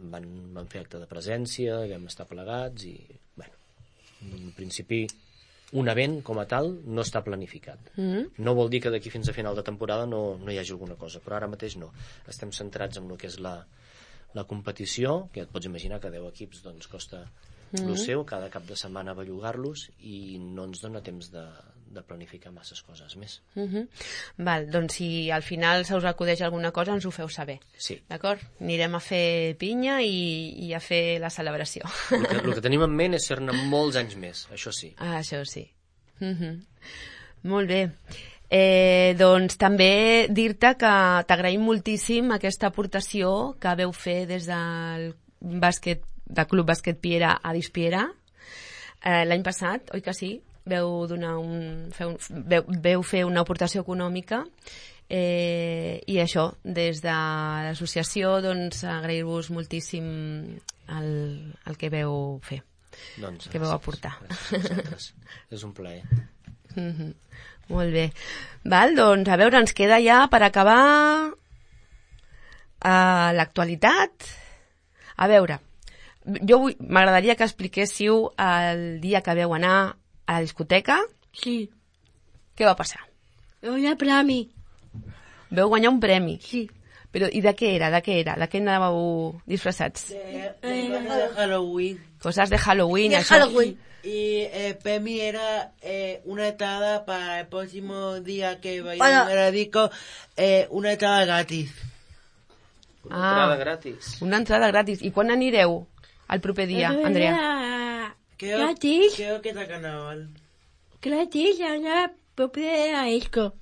Van fer acte de presència, vam estar plegats i, bueno, en principi un event com a tal no està planificat. No vol dir que d'aquí fins a final de temporada no hi hagi alguna cosa, però ara mateix no. Estem centrats en el que és la competició, que et pots imaginar que 10 equips doncs costa el seu, cada cap de setmana bellugar-los i no ens dona temps de planificar masses coses més. Val, doncs si al final se us acudeix alguna cosa ens ho feu saber. Sí. D'acord? Anirem a fer pinya i a fer la celebració. El que tenim en ment és ser-ne molts anys més, això sí. Això sí. Molt bé. Doncs també dir-te que t'agraïm moltíssim aquesta aportació que veu fer des del Club Bàsquet Piera a Dispiera l'any passat, oi que sí? Veu fer una aportació econòmica i això, des de l'associació, doncs agrair-vos moltíssim el que veu fer, doncs, que veu aportar. És un plaer. Molt bé. Val, doncs, a veure, ens queda ja per acabar l'actualitat. A veure, m'agradaria que expliquéssiu el dia que veu anar a la discoteca. Sí. Què va passar? Veu guanyar premi. Veu guanyar un premi? Sí. Però, i de què era? De què anàveu disfressats? De Halloween. Coses de Halloween. De Halloween. Y el premio era una entrada para el próximo día que vayamos a la disco, una entrada gratis. Una entrada gratis. Una entrada gratis. I quan anireu el proper dia, Andrea? Gratis. Creo que está carnaval. Gratis, anar proper a disco.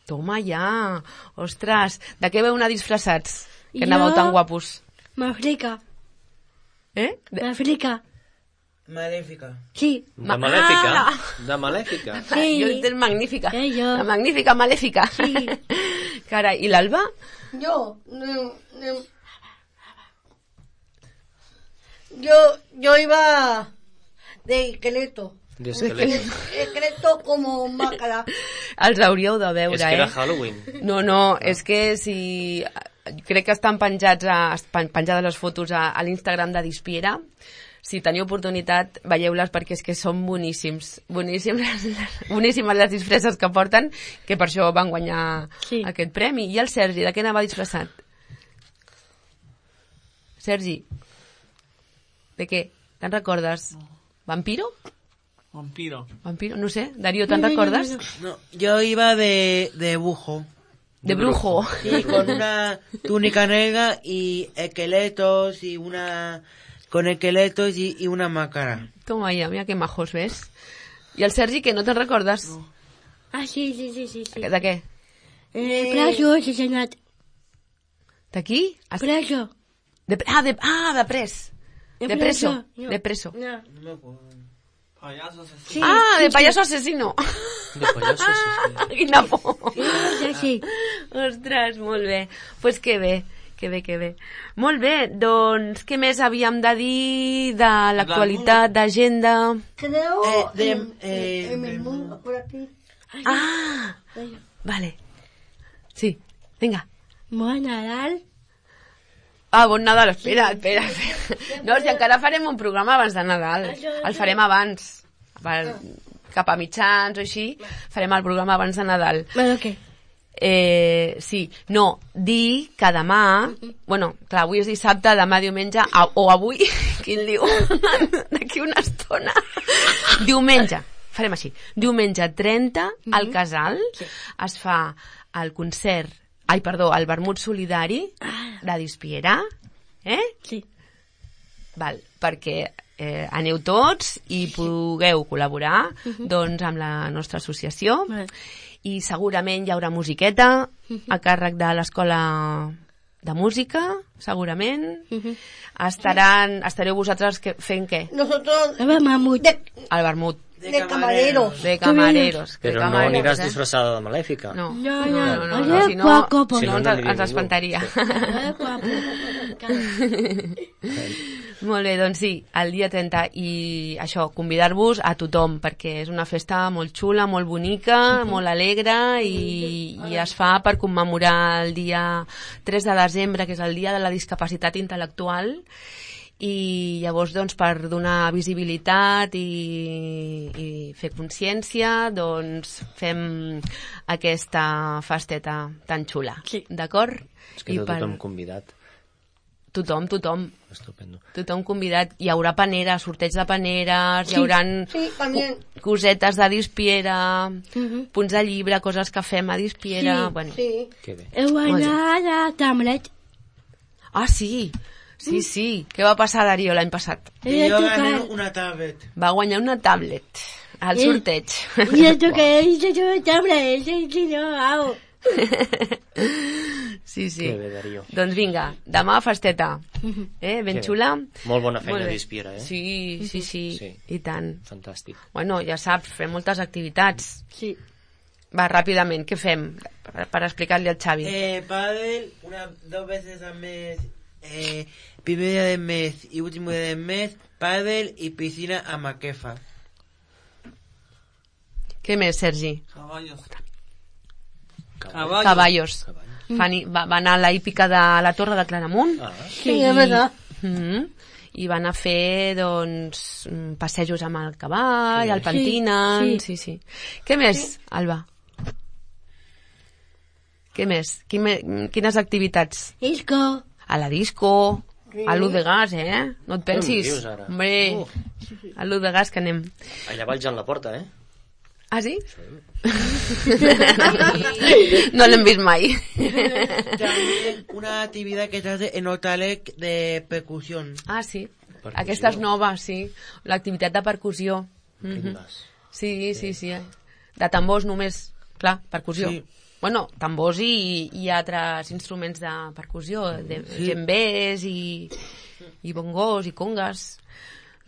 Toma ja. Ostres, de què veu anar disfressats? Que anàveu tan guapos. Mafrica. Mafrica. Malèfica. Sí. De Malèfica? De Malèfica? Sí. Jo entenc magnífica. Jo. La magnífica Malèfica. Sí. Carai, i l'Alba? Yo iba de esqueleto. De esqueleto. Esqueleto como máscara. Els hauríeu de veure, És que era Halloween. No, és que si... Crec que estan penjades les fotos a l'Instagram de Dispiera. Si teniu oportunitat, veieu-les perquè és que són boníssims. Boníssimes les disfresses que porten, que per això van guanyar aquest premi. I el Sergi, de què anava disfressat? Sergi, de què? Te'n recordes? Vampiro? Vampiro. No sé, Darío, ¿te recuerdas? No, yo iba de brujo. ¿De brujo? Sí, con una túnica negra y esqueletos y una... Con esqueletos y una máscara. Toma ya, mira qué majos, ¿ves? ¿Y el Sergi, que no te recuerdas? No. Sí. ¿De qué? Preso, assassinat. ¿D'aquí? Preso. De pres. De preso. De preso. No. No me acuerdo. Payaso asesino. Sí, de payaso asesino. De payaso asesino. Quina por. Sí. Ostres, molt bé. Pues que bé. Que bé. Molt bé, doncs què més havíem de dir de l'actualitat, d'agenda? Creo en el mundo, por aquí. Vale. Sí, vinga. Bon Nadal. Bon Nadal, espera. No, si encara farem un programa abans de Nadal. El farem abans. Cap a mitjans o així, farem el programa abans de Nadal. Bueno, què? Sí, no, dir que demà, bueno, clar, avui és dissabte, demà diumenge, o avui, quin diu, d'aquí una estona, diumenge, farem així, diumenge 30 al Casal es fa el concert el vermut solidari de Dispiera, Sí. Val, perquè aneu tots i pugueu col·laborar doncs, amb la nostra associació i segurament hi haurà musiqueta a càrrec de l'Escola de Música, segurament. Estareu vosaltres fent què? Nosotros... El vermut. El vermut. De camareros. De camareros. Però no aniràs disfressada de malèfica. No, Si si no ens espantaria. Molt bé, doncs sí, el dia 30 i això, convidar-vos a tothom perquè és una festa molt xula, molt bonica, molt alegre i es fa per commemorar el dia 3 de desembre, que és el dia de la discapacitat intel·lectual, i llavors doncs, per donar visibilitat i fer consciència doncs fem aquesta festeta tan xula, d'acord? És que tothom convidat. Tothom. Estupendo. Tothom convidat. Hi haurà paneres, sorteig de paneres, hi haurà cosetes de Dispiera, punts de llibre, coses que fem a Dispiera. Bueno. Que bé. Heu guanyat a Tamlet. Ah, sí. Sí. Què va passar, Darío, l'any passat? Jo gané una tablet. Va guanyar una tablet al sorteig. I el toqué, jo tablet, si no, au. Sí. Que bé, Darío. Doncs vinga, demà festeta. Ben xula. Molt bona feina a Dispiera, Sí, i tant. Fantàstic. Bueno, ja saps, fem moltes activitats. Sí. Va, ràpidament, què fem? Per explicar-li al Xavi. Pádel, 2 veces al mes, primer día del mes y último día del mes, pádel y piscina a Maquefa. Què més, Sergi? Caballos. Va anar a la hípica de la Torre de Claramunt. Sí, és verdad. I van a fer doncs passejos amb el cavall, el pentinen. Sí. Què més, Alba? Què més? Quines activitats? Disco. A la disco, a l'U de Gas, No et pensis? Què em dius, ara? Hombre, a l'U de Gas que anem. Allà vaig en la porta, Ah, sí? No l'hem vist mai. También una actividad que se hace en Otalec de percusión. Ah, sí. Aquesta és nova, sí. L'activitat de percussió. Sí. De tambors només, clar, percussió. Sí. Bueno, tambors i altres instruments de percussió, de djembés i bongos i congas.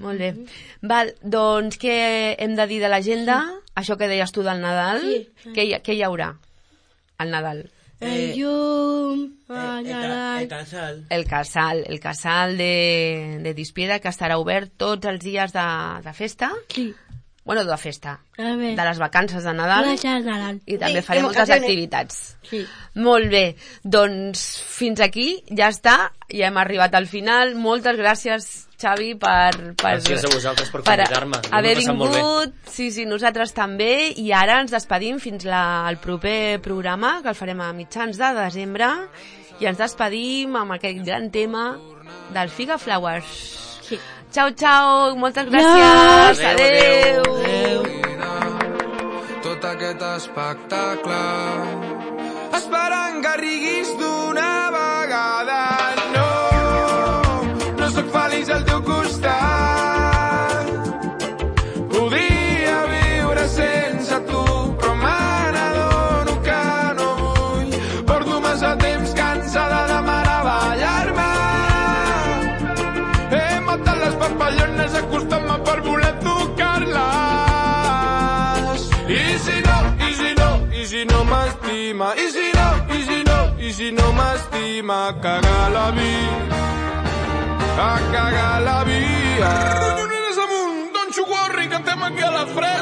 Molt bé. Val, doncs què hem de dir de l'agenda? Això que deies tu del Nadal. Què hi haurà al Nadal? El llum, el Nadal. El casal. El casal de Dispiera, que estarà obert tots els dies de festa. Sí. Bueno, de festa. A ver. De les vacances de Nadal. I també farem moltes activitats. Sí. Molt bé. Doncs fins aquí, ja està. Ja hem arribat al final. Moltes gràcies, Xavi, gràcies a vosaltres per convidar-me. Haver vingut. Sí, nosaltres també. I ara ens despedim fins al proper programa, que el farem a mitjans de desembre. I ens despedim amb aquest gran tema del Figa Flowers. Sí. Ciao, moltes gràcies. Adéu. Tot aquest espectacle esperant que riguis d'una vegada. No sóc feliç al teu costat. Podria viure sense tu, però me n'adono que no vull. Porto massa temps cansada de meravellar-me. He matat les papallones acostant-me per voler tocar-les. I si no m'estima, i si no m'estima, cagar la vida, a cagar la vida. Collonines amunt, Don Xuguarri, cantem aquí a la fresca.